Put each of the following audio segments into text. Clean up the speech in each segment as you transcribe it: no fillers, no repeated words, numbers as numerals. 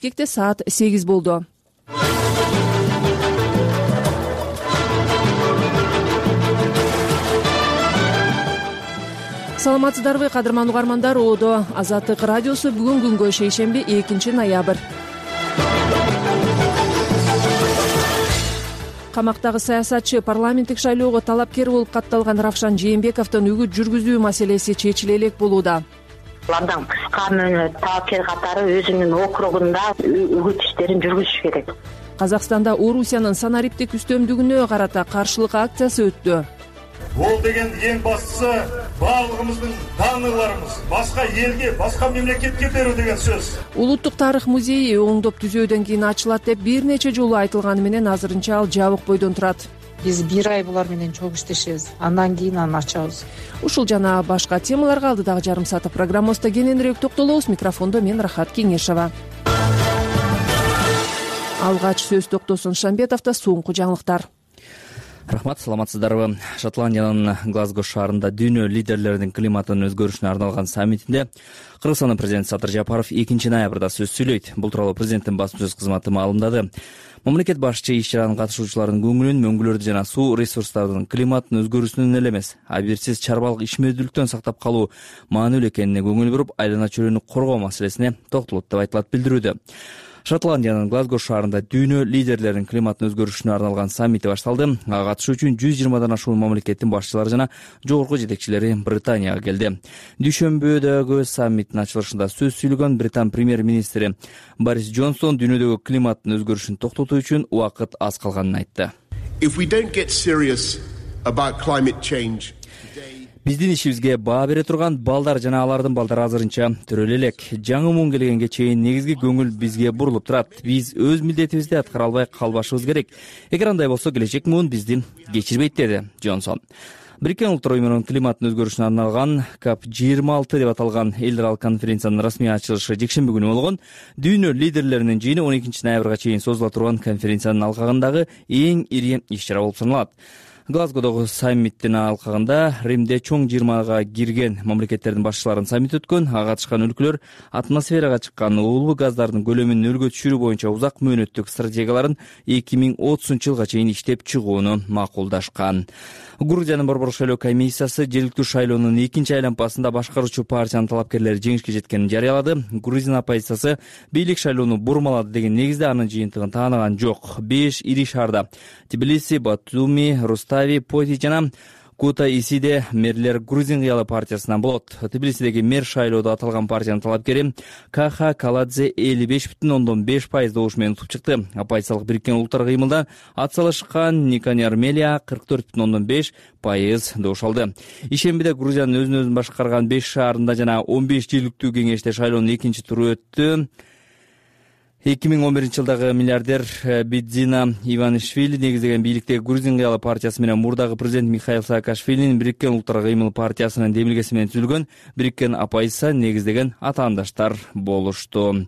Бишкекте саат 8 болду. Саламатсыздарбы, кадырман угармандар? Оодо Азаттык радиосу бүгүн күнгө шейшемби 2 ноябрь. Камактагы саясатчы парламенттик шайлоого талапкер болуп катталган Равшан Жээнбековдун үгүт жүргүзүү маселеси чечиле элек болууда. Андан кышкы талапкер катары өзүнүн округунда үгүт иштерин жүргүзүш керек. Казакстанда Орусиянын санариптик үстөмдүгүнө карата каршылык акциясы өттү. Бул деген эң баштысы баардыгыбыздын таанырларыбыз башка элге, башка мемлекетке берүү деген сөз. Улуттук тарых музейи оңдоп түзөөдөн кийин ачылат деп бир нече жолу айтылганы менен азырынча ал жабык бойдон турат. Биз 1 ай булар менен чогуу иштешебиз. Андан кийин аны ачабыз. Ушул жана башка темаларга алдыдагы жарым саат программабызда кененирээк токтолобуз. Микрофондо мен Рахат Кеңешова. Алгач сөз токтосун Шамбетовдо соңку жаңылыктар. Рахмат, саламатсыздарбы? Шотландиянын Глазго шаарында дүйнө лидерлеринин климаттын өзгөрүшүнө арналган саммитинде Кыргызстандын президенти Садыр Жапаров 2 ноябрда сөз сүйлөйт. Бул тууралуу президенттин басма-сөз кызматы маалымдады. Мамлекет башчы иш-чаранын катышуучуларынын көңүлүн мөңгүлөрдү жана суу ресурстарынын климаттын өзгөрүүсүнөн эле эмес, абийирсиз чарбалык ишмердүүлүктөн сактап калуу маанилүү экенине көңүл буруп, айлана чөйрөнү коргоо маселесине токтолот деп айтылат билдирүүдө. Шотландиянын Глазго шаарында дүйнө лидерлеринин климаттын өзгөрүшүнө арналган саммити башталды. Ага катышуу үчүн 120дан ашуун мамлекеттин башчылары жана жогорку жетекчилери Британияга келди. Дүйшөмбүдөгү саммиттин ачылышында сөз сүйлөгөн Британ премьер-министри Борис Джонсон дүйнөдөгү климаттын өзгөрүшүн токтотуу үчүн убакыт аз калганын айтты. Биздин ишибизге баа бере турган балдар жана алардын балдары азырынча төрөлө элек. Жаңы муун келгенге чейин негизги көңүл бизге бурулуп турат. Биз өз милдетибизди аткара албай калбашыбыз керек. Эгер андай болсо, келечек муун бизди кечирбейт, деди Джонсон. Бириккен Улуттар уюмунун климаттын өзгөрүшүнө арналган COP26 деп аталган эл аралык конференциянын расмий ачылышы жекшемби күнү болгон. Дүйнө лидерлеринин жыйыны 12 ноябрга чейин созула турган конференциянын алкагындагы эң ири иш-чара болуп саналат. Глазгодогу саммиттин алкагында Римде чоң 20га кирген мамлекеттердин башчыларынын саммити өткөн. Ага катышкан өлкөлөр атмосферага чыккан уулуу газдардын көлөмүн нөлгө түшүрүү боюнча узак мөөнөттүк стратегияларын 2030-жылга чейин иштеп чыгууну макулдашкан. Грузиянын Борбор шайлоо комиссиясы жергиликтүү шайлоонун 2 айлампасында башкаруучу партиянын талапкерлери жеңишке жеткенин жарыялады. Грузин оппозициясы бийлик шайлоону бурмалады деген негизде анын жыйынтыгын таанаган жок. 5 ири шаарда Тбилиси, Батуми, Рустави, Поти жана Кута-Исиде мэрлер Грузин кыялы партиясынан болот. Тбилисидеги мэр шайлоодо аталган партиянын талапкери Каха Каладзе 55,5% добуш менен утуп чыкты. Оппозициялык Бириккен Улуттар кыймылда атсалышкан Никани Армелия 44,5% добуш алды. Ишембиде Грузиянын өзүн башкарган 5 шаарында жана 15 жергиликтүү кеңеште шайлоонун 2-туру өттү. 2011-жылдагы миллиардер Бидзина Иванишвили негиздеген бийликтеги Грузин кыялы партиясы менен мурдагы президент Михаил Саакашвилинин Бириккен Улуттар кыймыл партиясынын демилгеси менен түзүлгөн Бириккен оппозиция негиздеген атаандаштар болушту.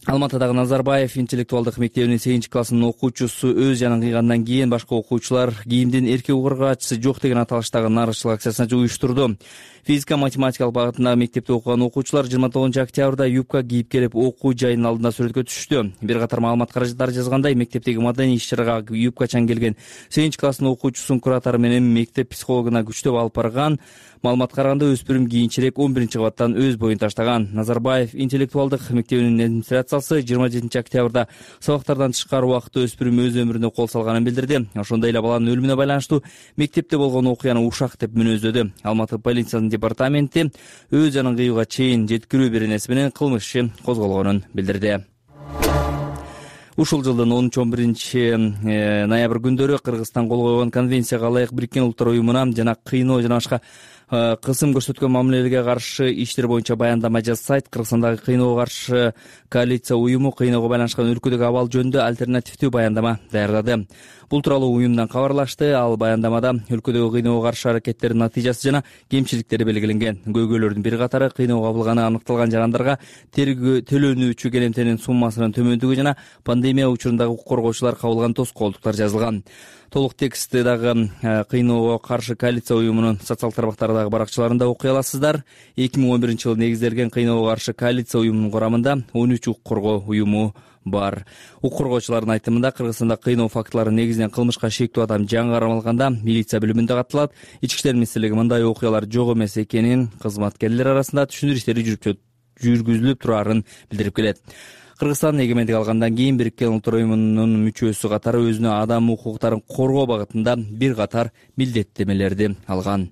Алматыдагы Назарбаев интеллектуалдык мектебинин 8-классынын окуучусу өз жанын кыйгандан кийин башка окуучулар кийимдин эркек угаргаачысы жок деген аталыштагы нарушчулук акциясын уюштурду. Физика-математикалык багытындагы мектепте окуган окуучулар 29-октябрда юбка кийип келип окуу жайынын алдында сүрөткө түшүштү. Бир катар маалымат каражаттары жазгандай, мектептеги мадений иш-чарага юбкачан келген 8-класстын окуучусунун куратору менен мектеп психологуна күчтөп алып барган. Маалыматка караганда өспүрүм кийинчерээк 11-кабаттан өз боюн таштаган. Назарбаев интеллектуалдык мектебинин администрациясы 27-октябрда сабактардан тышкары убакытта өспүрүм өз өмүрүнө кол салганын билдирди. Ошондой эле баланын өлүмүнө байланыштуу мектепте болгон окуяны ушак деп мүнөздөдү. Алматы полициянын департаменти өз жанын кыюуга чейин жеткирүү беренеси менен кылмыш иши козголгонун билдирди. Ушул жылдын 13-11 ноябрь күндөрү Кыргызстан кол койгон конвенцияга ылайык Бириккен Улуттар уюмуна жана кыйноо жана башка кысым көрсөткөн мамилелерге каршы иштер боюнча баяндама жасайт. Кыргызстандагы кыйноого каршы коалиция уюму кыйноого байланышкан өлкөдөгү абал жөнүндө альтернативдүү баяндама даярдады. Бул тууралуу уюмдан кабарлашты. Ал баяндамада өлкөдөгү кыйноого каршы аракеттердин натыйжасы жана кемчиликтери белгиленген. Көйгөйлөрдүн бир катары кыйноого кабылганы аныкталган жарандарга төлөнүүчү келемтенин суммасынын төмөндүгү жана пандемия учурундагы укук коргоочулар кабылган тоскоолдуктар жазылган. Толук тексти дагы кыйноого каршы коалиция уюмунун социалдык тармактарда дагы баракчаларында окуй аласыздар. 2011-жылы негизделген кыйноого каршы коалиция уюмунун курамында 13 укук коргоо уюму бар. Укук коргоочулардын айтымында Кыргызстанда кыйноо фактылары негизинен кылмышка шектүү адам жаңы кармалганда милиция бөлүмүндө катталат. Ички иштер министрлиги мындай окуялар жок эмес экенин, кызматкерлер арасында түшүндүрүү иштери жүргүзүлүп турарын билдирип келет. Кыргызстан эгемендик алгандан кийин Бириккен Улуттар уюмунун мүчөсү катары өзүнө адам укуктарын коргоо багытында бир катар милдеттемелерди алган.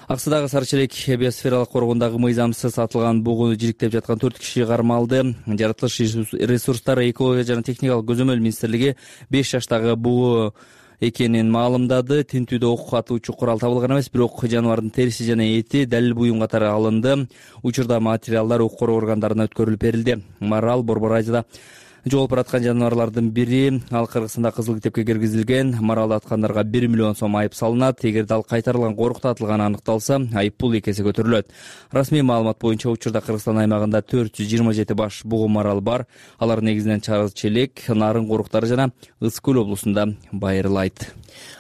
Аксыдагы Сары Челек биосфералык коргондогу мыйзамсыз сатылган бугуну жириктеп жаткан 4 киши кармалды. Жаратылыш ресурстары, экология жана техникалык көзөмөл министрлиги 5 жаштагы бугу экенин маалымдады. Тинтүүдө ок атуучу курал табылган эмес, бирок жаныбардын териси жана эти далил буюм катары алынды. Учурда материалдар укук коргоо органдарына өткөрүлүп берилди. Марал Борбор айылда жоголуп бараткан жаныбарлардын бири. Ал Кыргызстанда кызыл китепке киргизилген. Маралды аткандарга 1 миллион сом айып салынат. Эгерде ал кайтарылган корукта атылганы аныкталса, айып пул 2 эсе көтөрүлөт. Расмий маалымат боюнча учурда Кыргызстан аймагында 427 баш бугу марал бар. Алар негизинен Сары Челек, Нарын коруктары жана Ысык көл облусунда байырылайт.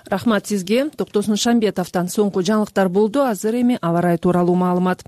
Рахмат сизге. Токтосун Шамбетовдон соңку жаңылыктар болду. Азыр эми аба ырайы тууралуу маалымат.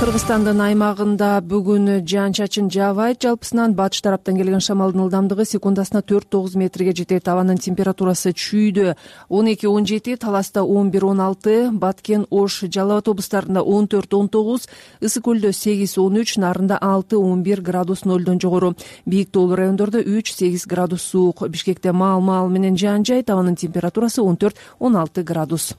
Кыргызстандын аймагында бүгүн жаан-чачын жаабайт. Жалпысынан батыш тараптан келген шамалдын ылдамдыгы секундасына 4-9 метрге жетет. Абанын температурасы чүйдө 12-17, Таласта 11-16, Баткен, Ош, Жалал Абад облустарында 14-19, Ысык көлдө 8-13, Нарында 6-11 градус нөлдөн жогору. Бийик тоолуу райондордо 3-8 градус суук. Бишкекте маал менен жаан жайт. Абанын температурасы 14-16 градус.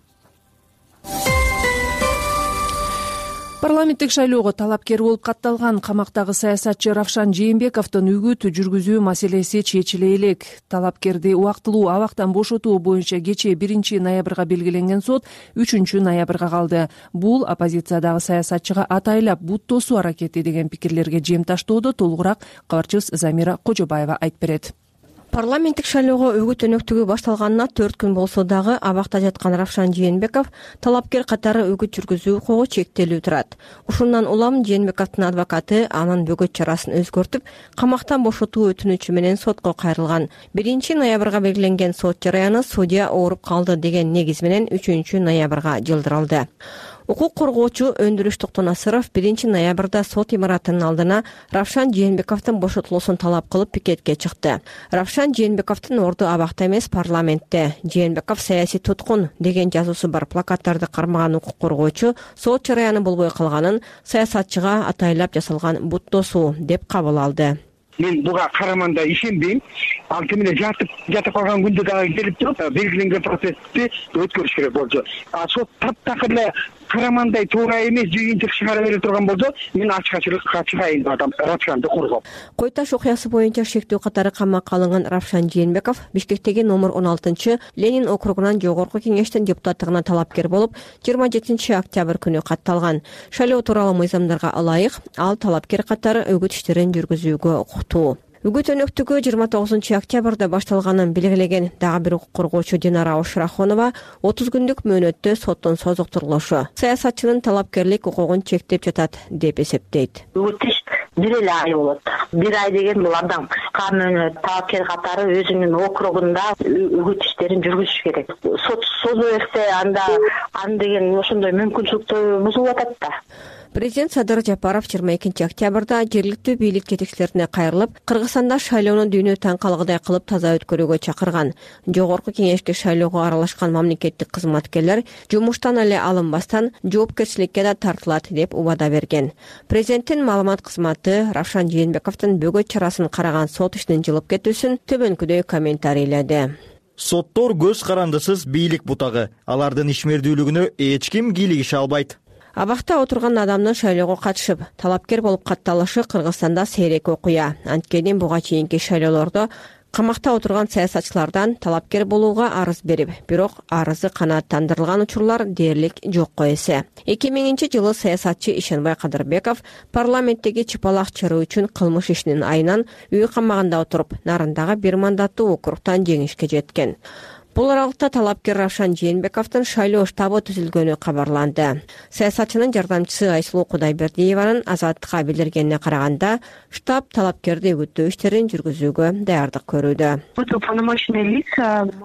Парламенттик шайлоого талапкер болуп катталган камактагы саясатчы Равшан Жээнбековдун үгүт жүргүзүү маселеси чечиле элек. Талапкерди убактылуу абактан бошотуу боюнча кечээ 1-ноябрга белгиленген сот 3-ноябрга калды. Бул оппозициядагы саясатчыга атайлап бут тосуу аракети деген пикирлерге жем таштоодо. Толугураак кабарчыбыз Замира Кожобаева айтып берет. Парламенттик шайлоого үгүт өнөктүгү башталганына 4 күн болсо дагы абакта жаткан Равшан Жээнбеков талапкер катары үгүт жүргүзүү укугу чектелүү турат. Ушундан улам Жээнбековдун адвокаты анын бөгөт чарасын өзгөртүп, камактан бошотуу өтүнүчү менен сотко кайрылган. 1-ноябрга белгиленген сот жараяны судья ооруп калды деген негиз менен 3-ноябрга жылдырылды. Укук коргоочу Өндүрүш Токтонасыров 1-ноябрда сот имаратынын алдына Равшан Жээнбековдун бошотулуусун талап кылып пикетке чыкты. Равшан Жээнбековдун орду абакта эмес, парламентте. Жээнбеков саясий туткун деген жазуусу бар плакаттарды кармаган укук коргоочу сот жараяны болбой калганын саясатчыга атайлап жасалган бут тосуу деп кабыл алды. Мен буга караманда ишенбейм. Ал кимде жатып калган күндө дагы келип туруп белгиленген процессти өткөрүш керек болчу. Сот таптакыр эле карамандай туура эмес жыйынтык чыгара бере турган болсо, мен ачык-ачык чыгайын деп атам Равшанды коргоп. Кой Таш окуясы боюнча шектүү катары камакка алынган Равшан Жээнбеков Бишкектеги номер 16 Ленин округунан жогорку кеңештин депутаттыгына талапкер болуп, 27 октябрь күнү катталган. Шайлоо тууралуу мыйзамдарга ылайык ал талапкер катары үгүт иштерин жүргүзүүгө укуктуу. Үгүт өнөктүгү 29 октябрда башталганын белгилеген дагы бир укук коргоочу Динара Ошрахонова 30 күндүк мөөнөттө соттун созуктурулушу саясатчынын талапкерлик укугун чектеп жатат деп эсептейт. Үгүт иш 1 ай болот. 1 ай деген бул абдан кыска мөөнөт. Талапкер катары өзүнүн округунда үгүт иштерин жүргүзүш керек. Сот созо берсе аны деген ошондой мүмкүнчүлүктөр бузулуп атат да. Президент Садыр Жапаров 22 октябрда жергиликтүү бийлик жетекчилерине кайрылып, Кыргызстанда шайлоону дүйнө таң калгыдай кылып таза өткөрүүгө чакырган. Жогорку кеңешке шайлоого аралашкан мамлекеттик кызматкерлер жумуштан эле алынбастан жоопкерчиликке да тартылат деп убада берген. Президенттин маалымат кызматы Равшан Жээнбековдун бөгөт чарасын караган сот ишинин жылып кетүүсүн төмөнкүдөй комментарийледи. Соттор көз карандысыз бийлик бутагы. Алардын ишмердүүлүгүнө эч ким кийлигише албайт. Абакта отурган адамдын шайлоого катышып, талапкер болуп катталышы Кыргызстанда сейрек окуя. Анткени буга чейинки шайлоолордо камакта отурган саясатчылардан талапкер болууга арыз берип, бирок арызы канааттандырылган учурлар дээрлик жокко эсе. 2000-жылы саясатчы Ишенбай Кадырбеков парламенттеги чыпалак чыруу үчүн кылмыш ишинин айынан үй камагында отуруп, Нарындагы 1 мандаттуу округтан жеңишке жеткен. Бул аралыкта талапкер Равшан Жээнбековдун шайлоо штабы түзүлгөнү кабарланды. Саясатчынын жардамчысы Айсулуу Кудайбердиеванын Азаттыкка билдиргенине караганда, штаб талапкерди үгүттөө иштерин жүргүзүүгө даярдык көрүүдө.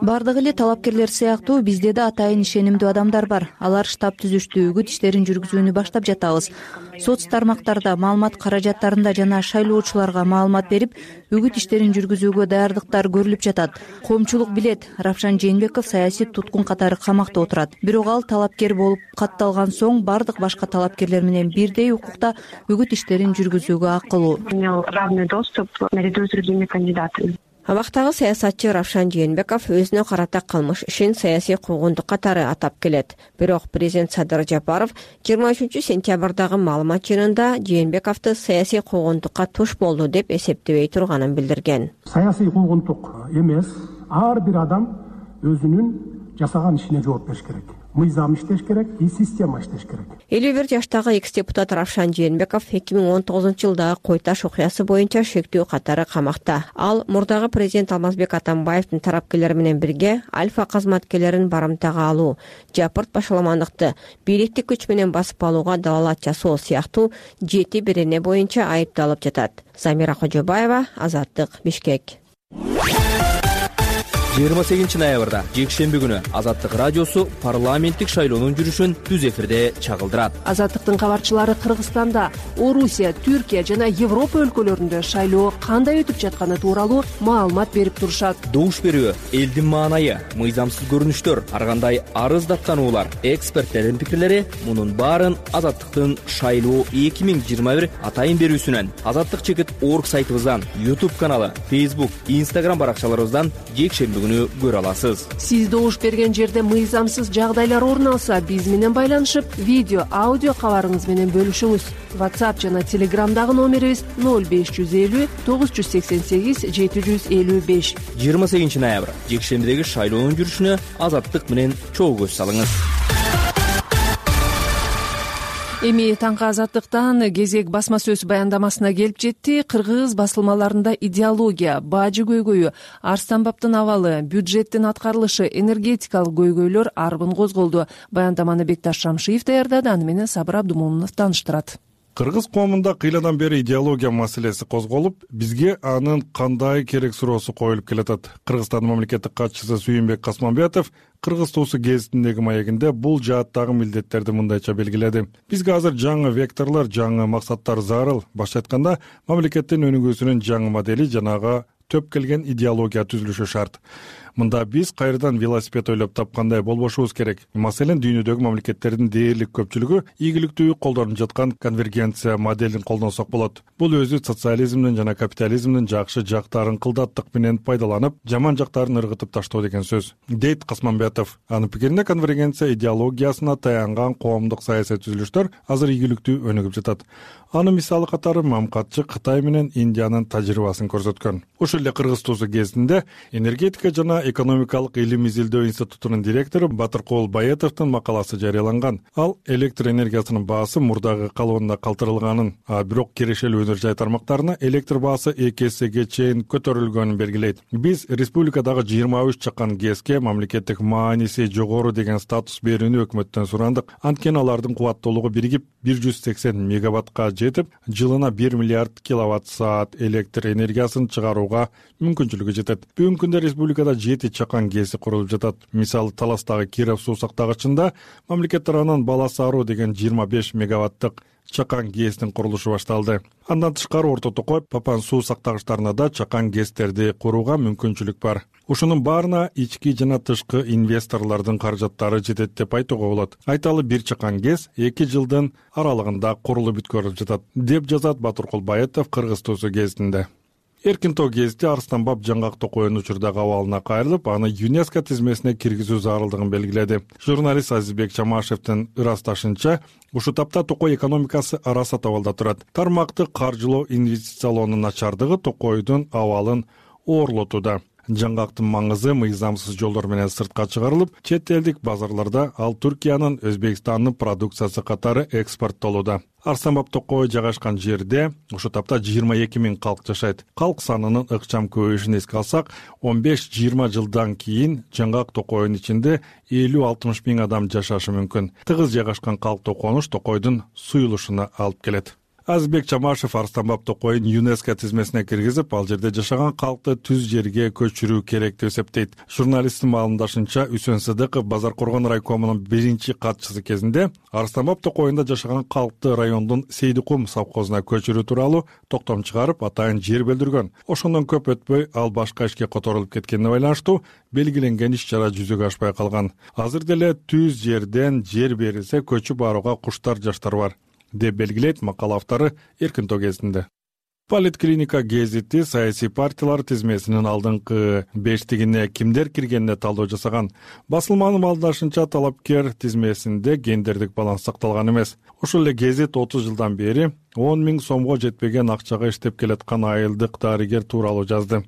Бардыгы эле талапкерлер сыяктуу бизде да атайын ишенимдүү адамдар бар. Алар штаб түзүштү, үгүт иштерин жүргүзүүнү баштап жатабыз. Соц тармактарда, маалымат каражаттарында жана шайлоочуларга маалымат берип, үгүт иштерин жүргүзүүгө даярдыктар көрүлүп жатат. Коомчулук билет, Равшан Жээнбеков саясий туткун катары камакта отурат. Бирок ал талапкер болуп катталган соң бардык башка талапкерлер менен бирдей укукта үгүт иштерин жүргүзүүгө акылуу. Равный доступ наряду с другими кандидатами. Абактагы саясатчы Равшан Жээнбеков өзүнө карата кылмыш ишин саясий куугунтук катары атап келет. Бирок президент Садыр Жапаров 23 сентябрдагы маалымат жыйынында Жээнбековду саясий куугунтукка туш болду деп эсептебей турганын билдирген. Саясий куугунтук эмес, ар бир адам өзүнүн жасаган ишине жооп бериш керек. Мыйзам иштеш керек, система иштеш керек. 51 жаштагы экс-депутат Равшан Жээнбеков 2019-жылдагы Кой Таш окуясы боюнча шектүү катары камакта. Ал мурдагы президент Алмазбек Атамбаевдин тарапкерлери менен бирге Альфа кызматкерлерин барымтага алуу, жапырт башаламандыкты, бийликти күч менен басып алууга далалат жасоо сыяктуу 7 берене боюнча айыпталып жатат. Замира Кожобаева, Азаттык, Бишкек. 28 ноябрда жекшемби күнү Азаттык радиосу парламенттик шайлоонун жүрүшүн түз эфирде чагылдырат. Азаттыктын кабарчылары Кыргызстанда, Орусия, Түркия жана Европа өлкөлөрүндө шайлоо кандай өтүп жатканы тууралуу маалымат берип турушат. Добуш берүү, элдин маанайы, мыйзамсыз көрүнүштөр, ар кандай арыз даттануулар, эксперттердин пикирлери — мунун баарын Азаттыктын шайлоо 2021 атайын берүүсүнөн, azattik.org сайтыбыздан, YouTube каналы, Facebook, Instagram баракчаларыбыздан жекшемби көрө аласыз. Сиз добуш берген жерде мыйзамсыз жагдайлар орун алса, биз менен байланышып, видео, аудио кабарыңыз менен бөлүшүңүз. WhatsApp жана Telegramдагы номерибиз 0550 988 755. 28 ноябрь жекшембидеги шайлоонун жүрүшүнө Азаттык менен чогуу көз салыңыз. Эми таңкы Азаттыктан кезек басма сөз баяндамасына келип жетти. Кыргыз басылмаларында идеология, бажы көйгөйү, Арстанбаптын абалы, бюджеттин аткарылышы, энергетикалык көйгөйлөр арбын козголду. Баяндаманы Бекташ Шамшиев даярдады, аны менен Сабыр Абдумомунов тааныштырат. Кыргыз коомунда кыйладан бери идеология маселеси козголуп, бизге анын кандай керек суроосу коюлуп келатат. Кыргызстандын мамлекеттик катчысы Сүйүнбек Касманбетов Кыргыз туусу гезитиндеги маегинде бул жааттагы милдеттерди мындайча белгиледи. Бизге азыр жаңы векторлор, жаңы максаттар зарыл. Башка айтканда, мамлекеттин өнүгүүсүнүн жаңы модели жанага төп келген идеология түзүлүшү шарт. Мында биз кайрадан велосипед ойлоп тапкандай болбошубуз керек. Маселен, дүйнөдөгү мамлекеттердин дээрлик көпчүлүгү ийгиликтүү колдонуп жаткан конвергенция моделин колдонсок болот. Бул өзү социализмдин жана капитализмдин жакшы жактарын кылдаттык менен пайдаланып, жаман жактарын ыргытып таштоо деген сөз, дейт Касманбетов. Анын пикирине, конвергенция идеологиясына таянган коомдук саясий түзүлүштөр азыр ийгиликтүү өнүгүп жатат. Анын мисалы катары мамкатчы Кытай менен Индиянын тажрыйбасын көрсөткөн. Ошол эле Кыргыз туусу гезитинде энергетика жана экономикалык илим изилдөө институтунун директору Батыркул Баетовдун макаласы жарыяланган. Ал электр энергиясынын баасы мурдагы калыбында калтырылганын, бирок кирешелүү өнөр жай тармактарына электр баасы 2 эсеге чейин көтөрүлгөнүн белгилейт. Биз республикадагы 23 чакан ГЭСке мамлекеттик мааниси жогору деген статус берүүнү өкмөттөн сурандык. Анткени алардын кубаттуулугу биригип 180 мегаваттка жетип, жылына 1 миллиард киловатт саат электр энергиясын чыгарууга мүмкүнчүлүгү жетет. Бүгүнкү күндө республикада 7 чакан ГЭСи курулуп жатат. Мисалы, Таластагы Киров суу сактагычында мамлекет тарабынан Баласы Аруу деген 25 мегаваттык чакан ГЭСтин курулушу башталды. Андан тышкары Орто Токой, Папан суу сактагычтарына да чакан ГЭСтерди курууга мүмкүнчүлүк бар. Ушунун баарына ички жана тышкы инвесторлордун каражаттары жетет деп айтууга болот. Айталы, бир чакан ГЭС 2 жылдын аралыгында курулуп бүткөрүлүп жатат, деп жазат Батыркул Баетов Кыргыз туусу гезитинде. Эркин тоо гезити Арстанбап Жаңгак Токойдун учурдагы абалына кайрылып, аны ЮНЕСКО тизмесине киргизүү зарылдыгын белгиледи. Журналист Азизбек Чамашевдин ырасташынча, ушул тапта Токой экономикасы араса абалда турат. Тармакты каржылоо, инвестициялоонун начардыгы Токойдун абалын оорлотууда. Жаңгактын маңызы мыйзамсыз жолдор менен сыртка чыгарылып, чет элдик базарларда ал Түркиянын Өзбекстандын продукциясы катары экспорттолууда. Арстанбап Токой жайгашкан жерде ошол тапта 22 000 калк жашайт. Калк санынын ыкчам көбөйүшүн эске алсак, 15-20 жылдан кийин Жаңгак Токойдун ичинде 50-60 000 адам жашашы мүмкүн. Тыгыз жайгашкан калктуу конуш Токойдун суюлушуна алып келет. Азбек Чамашев Арстанбап Токойун ЮНЕСКО тизмесине киргизип, ал жерде жашаган калкты түз жерге көчүрүү керек деп эсептейт. Журналисттин маалымдашынча, Үсөн Сыдыков Базаркоргон райкомунун биринчи катчысы кезинде Арстанбап Токойунда жашаган калкты райондун Сейдикум совхозуна көчүрүү тууралуу токтом чыгарып, атайын жер бөлдүргөн. Ошондон көп өтпөй ал башка ишке которулуп кеткенине байланыштуу белгиленген иш-чара жүзөгө ашпай калган. Азыр деле түз жерден жер берилсе көчүп барууга куштар жаштар бар, деп белгилейт макала автору Эркинто гезитинде. Политклиника гезити саясий партиялар тизмесинин алдыңкы 5-тигине кимдер киргенине талдоо жасаган. Басылманын маалымдашынча, талапкер тизмесинде гендердик баланс сакталган эмес. Ошол эле гезит 30 жылдан бери 10 000 сомго жетпеген акчага иштеп келаткан айылдык дарыгер тууралуу жазды.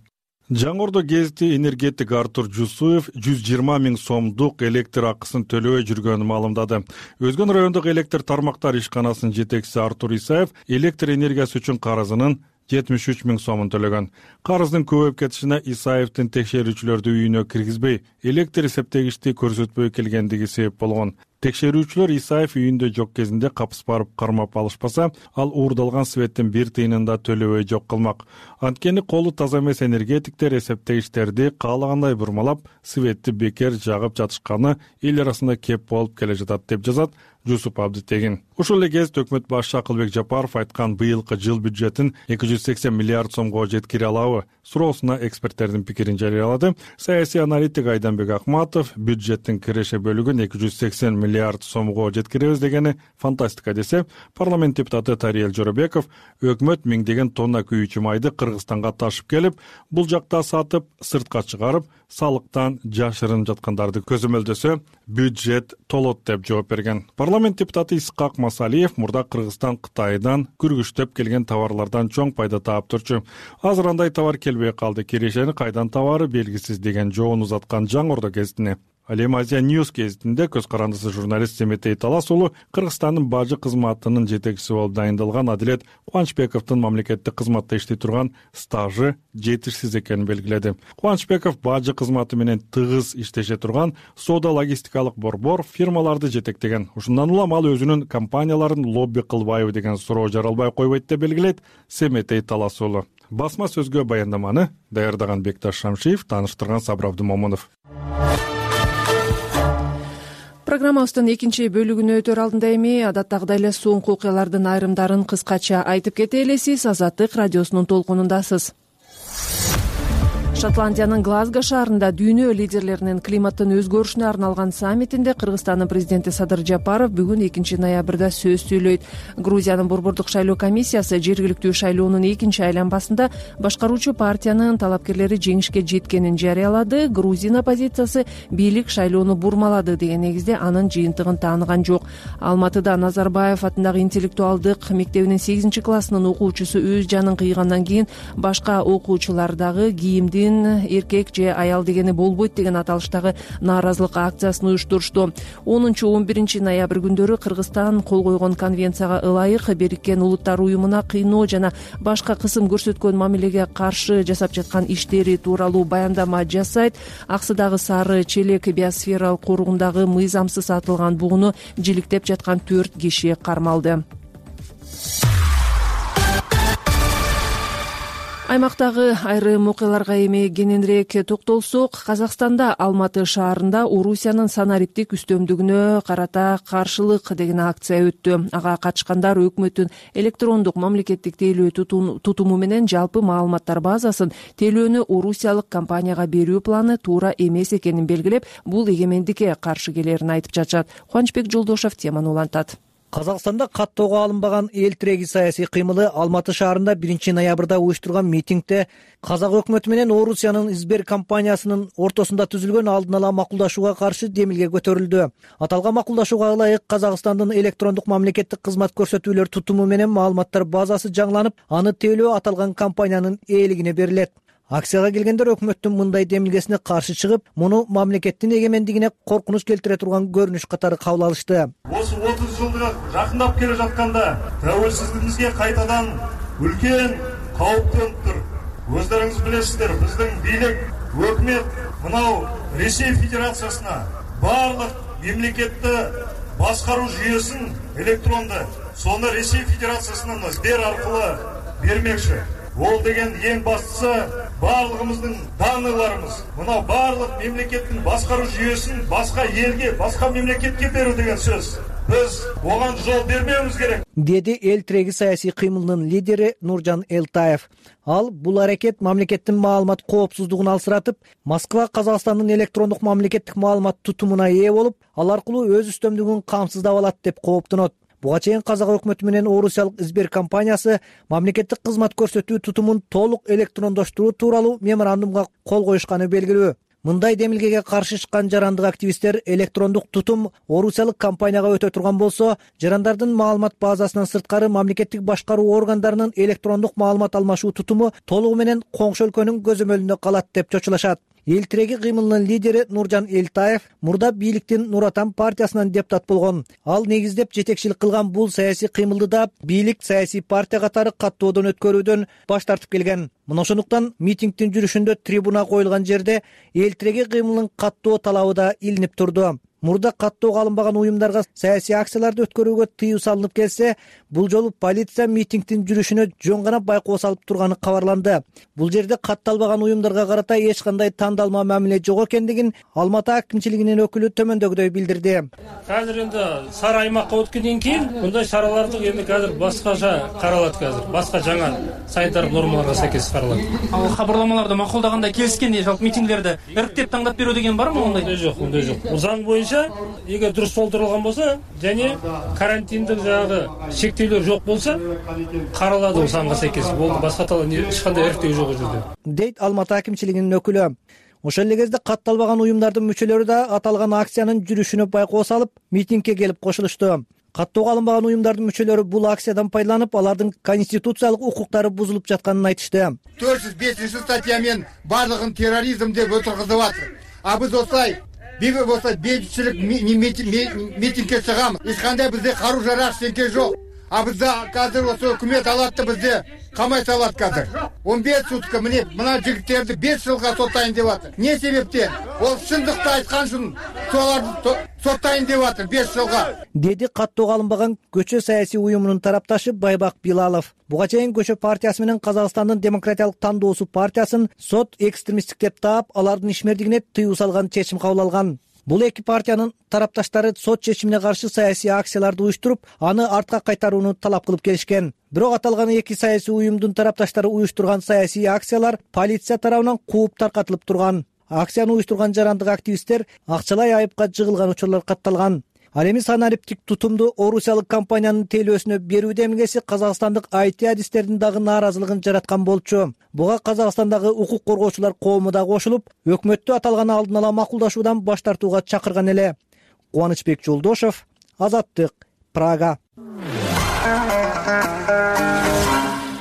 Жаңордо гезити энергетик Артур Жусуев 120 000 сомдук электр акысын төлөбөй жүргөнүн маалымдады. Өзгөн райондук электр тармактар ишканасынын жетекчиси Артур Исаев электр энергиясы үчүн карызынын 73 000 сомун төлөгөн. Карыздын көбөйүп кетишине Исаевдин текшерүүчүлөрдү үйүнө киргизбей, электр эсептегичти көрсөтпөй келгендиги себеп болгон. Текшерүүчүлөр Исаев үйүндө жок кезинде капыс барып кармап алышпаса, ал уурдалган светтин бир тыйынын да төлөбөй жок кылмак. Анткени колу таза эмес энергетиктер эсептегичтерди каалагандай бурмалап, светти бекер жагып жатышканы эл арасында кеп болуп келе жатат, деп жазат Жусуп Абдытегин. Ошол эле кезде өкмөт башчы Акылбек Жапаров айткан быйылкы жыл бюджетин 280 миллиард сомго жеткире алабы суроосуна эксперттердин пикирин жарыялады. Саясий аналитик Айданбек Акматов бюджеттин киреше бөлүгүн 280 миллиард сомго жеткиребиз дегени фантастика десе, парламент депутаты Тариел Жоробеков өкмөт миңдеген тонна күйүүчү майды Кыргызстанга ташып келип, бул жакта сатып, сыртка чыгарып, салыктан жашырынып жаткандарды көзөмөлдөсө, бюджет толот деп жооп берген. Парламент депутаты Исхак Масалиев мурда Кыргызстан Кытайдан күргүчтөп келген товарлардан чоң пайда таап турчу. Азыр андай товар келбей калды, кирешени кайдан табары белгисиз деген жоон узаткан Жаңордо гезитине. Ал эми Азия Ньюс гезитинде көз карандысы журналист Семетей Талас уулу Кыргызстандын бажы кызматынын жетекчиси болуп дайындалган Адилет Кубанычбековдун мамлекеттик кызматта иштей турган стажы жетишсиз экенин белгиледи. Кубанычбеков бажы кызматы менен тыгыз иштеше турган соода логистикалык борбор фирмаларды жетектеген. Ушундан улам ал өзүнүн компанияларын лобби кылбайбы деген суроо жаралбай койбойт деп белгилейт Семетей Талас уулу. Басма сөзгө баяндаманы даярдаган Бекташ Шамшиев, тааныштырган Сабыр Абдымомунов. Программабыздын экинчи бөлүгүнө өтөр алдында эми адаттагыдай эле соңку окуялардын айрымдарын кыскача айтып кетели. Сиз Азаттык радиосунун толкунундасыз. Шотландиянын Глазго шаарында дүйнө лидерлеринин климаттын өзгөрүшүнө арналган саммитинде Кыргызстандын президенти Садыр Жапаров бүгүн 2 ноябрда сөз сүйлөйт. Грузиянын борбордук шайлоо комиссиясы жергиликтүү шайлоонун экинчи айланбасында башкаруучу партиянын талапкерлери жеңишке жеткенин жарыялады. Грузин оппозициясы бийлик шайлоону бурмалады деген негизде анын жыйынтыгын тааныган жок. Алматыда Назарбаев атындагы интеллектуалдык мектебинин 8-классынын окуучусу өз жанын кыйгандан кийин башка окуучулар дагы кийимдин эркек же аял дегени болбойт деген аталыштагы нааразылык акциясын уюштурушту. 10-11 ноябрь күндөрү Кыргызстан кол койгон конвенцияга ылайык Бириккен Улуттар уюмуна кыйноо жана башка кысым көрсөткөн мамилеге каршы жасап жаткан иштери тууралуу баяндама жасайт. Аксыдагы Сары Челек биосфералык коругундагы мыйзамсыз атылган бугуну жиликтеп жаткан 4 киши кармалды. Аймактагы айрым окуяларга эми кененирээк токтолсок, Казакстанда Алматы шаарында Орусиянын санариптик үстөмдүгүнө карата каршылык деген акция өттү. Ага катышкандар өкмөттүн электрондук мамлекеттик тейлөө тутуму менен жалпы маалыматтар базасын тейлөөнү орусиялык компанияга берүү планы туура эмес экенин белгилеп, бул эгемендикке каршы келерин айтып жатышат. Кубанычбек Жолдошев теманы улантат. Казакстанда каттоого алынбаган эл тиреги саясий кыймылы Алматы шаарында 1 ноябрда уюштурган митингде Казак өкмөтү менен Орусиянын Сбер компаниясынын ортосунда түзүлгөн алдын ала макулдашууга каршы демилге көтөрүлдү. Аталган макулдашууга ылайык Казакстандын электрондук мамлекеттик кызмат көрсөтүүлөр тутуму менен маалыматтар базасы жаңыланып, аны тейлөө аталган компаниянын ээлигине берилет. Акцияга келгендер өкмөттүн мындай демилгесине каршы чыгып, муну мамлекеттин эгемендигине коркунуч келтире турган көрүнүш катары кабыл алышты. Осы 30 жылдык жакындап келе жатканда тәуелсиздигибизге кайтадан үлкен кауіп төнүп тур. Өздеріңіз білесіздер, біздің бийлик, өкмет мынау Ресей Федерациясына барлық мемлекетті басқару жүйесін электронды, соны Ресей Федерациясынан Сбер арқылы бермекші. Ол деген ең бастысы барлығымыздың данныйларымыз. Мынау барлық мемлекеттің басқару жүйесін басқа елге, басқа мемлекетке беру деген сөз. Біз оған жол бермеуіміз керек, деди эл тиреги саясий кыймылынын лидери Нуржан Элтаев. Ал бул аракет мамлекеттин маалымат коопсуздугун алсыратып, Москва Казакстандын электрондук мамлекеттик маалымат тутумуна ээ болуп, ал аркылуу өз үстөмдүгүн камсыздап алат деп кооптонот. Буга чейин Казак өкмөтү менен Орусиялык Сбер компаниясы мамлекеттик кызмат көрсөтүү тутумун толук электрондоштуруу тууралуу меморандумга кол коюшканы белгилүү. Мындай демилгеге каршы чыккан жарандык активисттер электрондук тутум орусиялык компанияга өтө турган болсо, жарандардын маалымат базасынан сырткары мамлекеттик башкаруу органдарынын электрондук маалымат алмашуу тутуму толугу менен коңшу өлкөнүн көзөмөлүндө калат деп чочулашат. Эл тиреги кыймылынын лидери Нуржан Элтаев мурда бийликтин Нур Отан партиясынан депутат болгон. Ал негиздеп жетекчилик кылган бул саясий кыймылды да бийлик саясий партия катары каттоодон өткөрүүдөн баш тартып келген. Мына ошондуктан митингдин жүрүшүндө трибуна коюлган жерде эл тиреги кыймылынын каттоо талабы да илинип турду. Мурда каттоого алынбаган уюмдарга саясий акцияларды өткөрүүгө тыюу салынып келсе, бул жолу полиция митингдин жүрүшүнө жөн гана байкоо салып турганы кабарланды. Бул жерде катталбаган уюмдарга карата эч кандай тандалма мамиле жок экендигин Алматы акимчилигинин өкүлү төмөндөгүдөй билдирди. Азыр энди сары аймакка өткөндөн кийин мындай чараларды эми азыр башкача каралат, азыр башка жаңа санитардык нормаларга сайкес каралат. Ал кабарламаларды макулдаганда келишкенде жалпы митингдерди иреттеп таңдап берүү деген барбы ондай? Жок, ондай жок. Заң боюнча эгер дурус толтурулган болсо және карантиндик жагы шектөөлөр жок болсо каралады, санга сайкес. Болду, башка эч кандай эртөө жок жерде, дейт Алматы акимчилигинин өкүлү. Ошол эле кезде катталбаган уюмдардын мүчөлөрү да аталган акциянын жүрүшүнө байкоо салып, митингге келип кошулушту. Каттоого алынбаган уюмдардын мүчөлөрү бул акциядан пайдаланып, алардын конституциялык укуктары бузулуп жатканын айтышты. 405 статьямен барлыгын терроризм деп отургузуп атыр. А биз осылай бейбитчилик митингге чыгамыз. Эч кандай бизде каруу жарак эчтеке жок. А бизде азыр осы өкмөт алат да бизди камай салат азыр. 15 сутка мына жигиттерди 5 жылга соттайын деп атыр. Не себептен? Ол чындыкты айткан үчүн соларды соттайын деп атыр 5 жылга. Деди каттоого алынбаган көчө саясий уюмунун тарапташы Байбак Билалов. Буга чейин көчө партиясы менен Казакстандын демократиялык тандоосу партиясын сот экстремисттик деп таап, алардын ишмердигине тыюу салган чечим кабыл алган. Бул эки партиянын тарапташтары сот чечимине каршы саясий акцияларды уюштуруп, аны артка кайтарууну талап кылып келишкен. Бирок аталган эки саясий уюмдун тарапташтары уюштурган саясий акциялар полиция тарабынан кууп таркатылып турган. Акцияны уюштурган жарандык активисттер акчалай айыпка жыгылган учурлар катталган. Ал эми санариптик тутумду орусиялык компаниянын тейлөөсүнө берүү демилгеси казакстандык IT адистердин дагы нааразылыгын жараткан болчу. Буга Казакстандагы укук коргоочулар коому да кошулуп, өкмөттү аталган алдын ала макулдашуудан баш тартууга чакырган эле. Кубанычбек Жолдошов, Азаттык, Прага.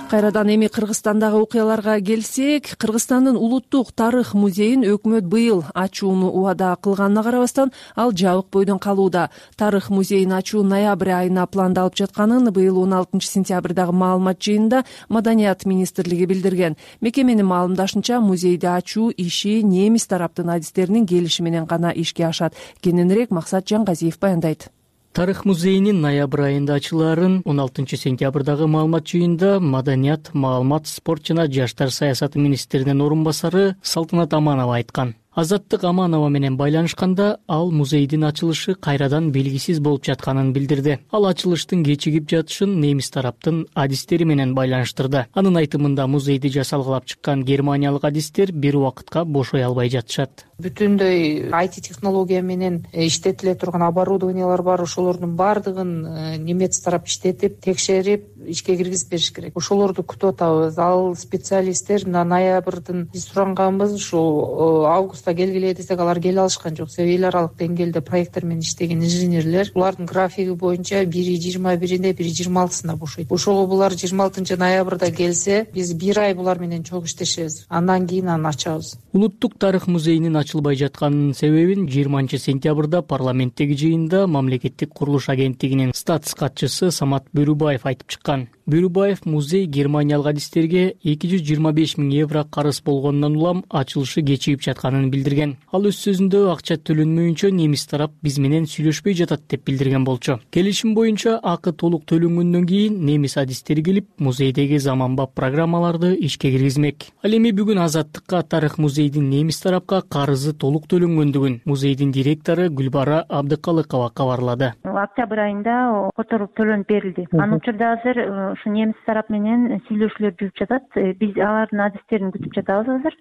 Кайрадан эми Кыргызстандагы окуяларга келсек, Кыргызстандын улуттук тарых музейин өкмөт быйыл ачууну убада кылганына карабастан, ал жабык бойдон калууда. Тарых музейин ачуу ноябрь айына пландалып жатканын быйыл 16 сентябрдагы маалымат жыйынында Маданият министрлиги билдирген. Мекеменин маалымдашынча, музейди ачуу иши немис тараптын адистеринин келиши менен гана ишке ашат. Кененирээк Максат Жангазиев баяндайт. Тарых музейинин ноябрь айында ачылаарын 16 сентябрдагы маалымат жыйынында Маданият, маалымат, спорт жана жаштар саясаты министринин орун басары Салтанат Аманова айткан. Азаттык Аманова менен байланышканда, ал музейдин ачылышы кайрадан белгисиз болуп жатканын билдирди. Ал ачылыштын кечигип жатышын немис тараптын адистери менен байланыштырды. Анын айтымында, музейди жасалгалап чыккан германиялык адистер бир убакытка бошой албай жатышат. Бүтүндөй IT технология менен иштетиле турган оборудованиялар бар, ошолордун баардыгын немец тарап иштетип, текшерип, ишке киргизип бериш керек. Ошолорду күтүп атабыз. Ал специалисттер ноябрдын биз суранганбыз, ушу август курулушта келгиле десек алар келе алышкан жок. Себеби эл аралык деңгээлде проекттер менен иштеген инженерлер булардын графиги боюнча 1/21-inde 1/26-сында бошойт. Ошого булар 26-ноябрда келсе, биз бир ай булар менен чогуу иштешебиз. Андан кийин аны ачабыз. Улуттук тарых музейинин ачылбай жатканынын себебин 20-сентябрда парламенттеги жыйында мамлекеттик курулуш агенттигинин статс катчысы Самат Бөрүбаев айтып чыккан. Бөрүбаев музей германиялык адистерге 225 000 евро карыз болгонунан улам ачылышы кечигип жатканын билдирген. Ал өз сөзүндө акча төлөнмөйүнчө немис тарап биз менен сүйлөшпөй жатат деп билдирген болчу. Келишим боюнча акы толук төлөнгөндөн кийин немис адистери келип музейдеги заманбап программаларды ишке киргизмек. Ал эми бүгүн Азаттыкка тарых музейдин немис тарапка карызы толук төлөнгөндүгүн музейдин директору Гүлбара Абдыкалыкова кабарлады. Октябрь айында которуп төлөнүп берилди. Анын учурда азыр ушу немис тарап менен сүйлөшүүлөр жүрүп жатат. Биз алардын адистерин күтүп жатабыз азыр.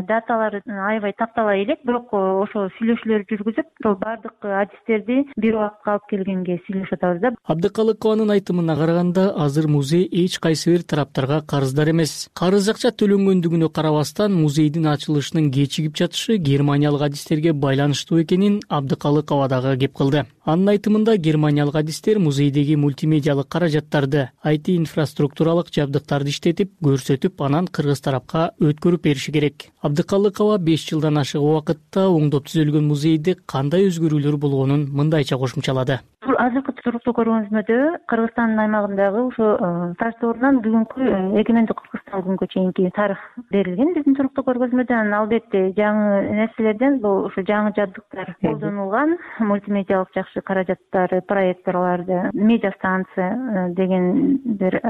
Даталары аябай тактала элек, бирок ошо сүйлөшүүлөр жүргүзүп, бардык адистерди бир убакытка алып келгенге сүйлөшүп атабыз да. Абдыкалыкованын айтымына караганда, азыр музей эч кайсы бир тараптарга карыздар эмес. Карыз акча төлөнгөндүгүнө карабастан музейдин ачылышынын кечигип жатышы германиялык адистерге байланыштуу экенин Абдыкалыкова дагы кеп кылды. Анын айтымында германиялык адистер музейдеги мультимедиалык каражаттарды, IT инфраструктуралык жабдыктарды иштетип, көрсөтүп, анан кыргыз тарапка өткөрүп бериши керек. Абдыкалыкова 5 жылдан ашык убакытта оңдоп түзөлгөн музейде кандай өзгөрүүлөр болгонун мындайча кошумчалады. Азыркы туруктуу көргөзмөдө Кыргызстандын аймагындагы ошо Таш-Тоорунан бүгүнкү эгемендик Кыргызстан күнгө чейинки тарых берилген биздин туруктуу көргөзмөдө. Анан албетте жаңы нерселерден бул ошо жаңы жабдыктар колдонулган, мультимедиалык жакшы каражаттар, проекторларды, медиа станция деген бир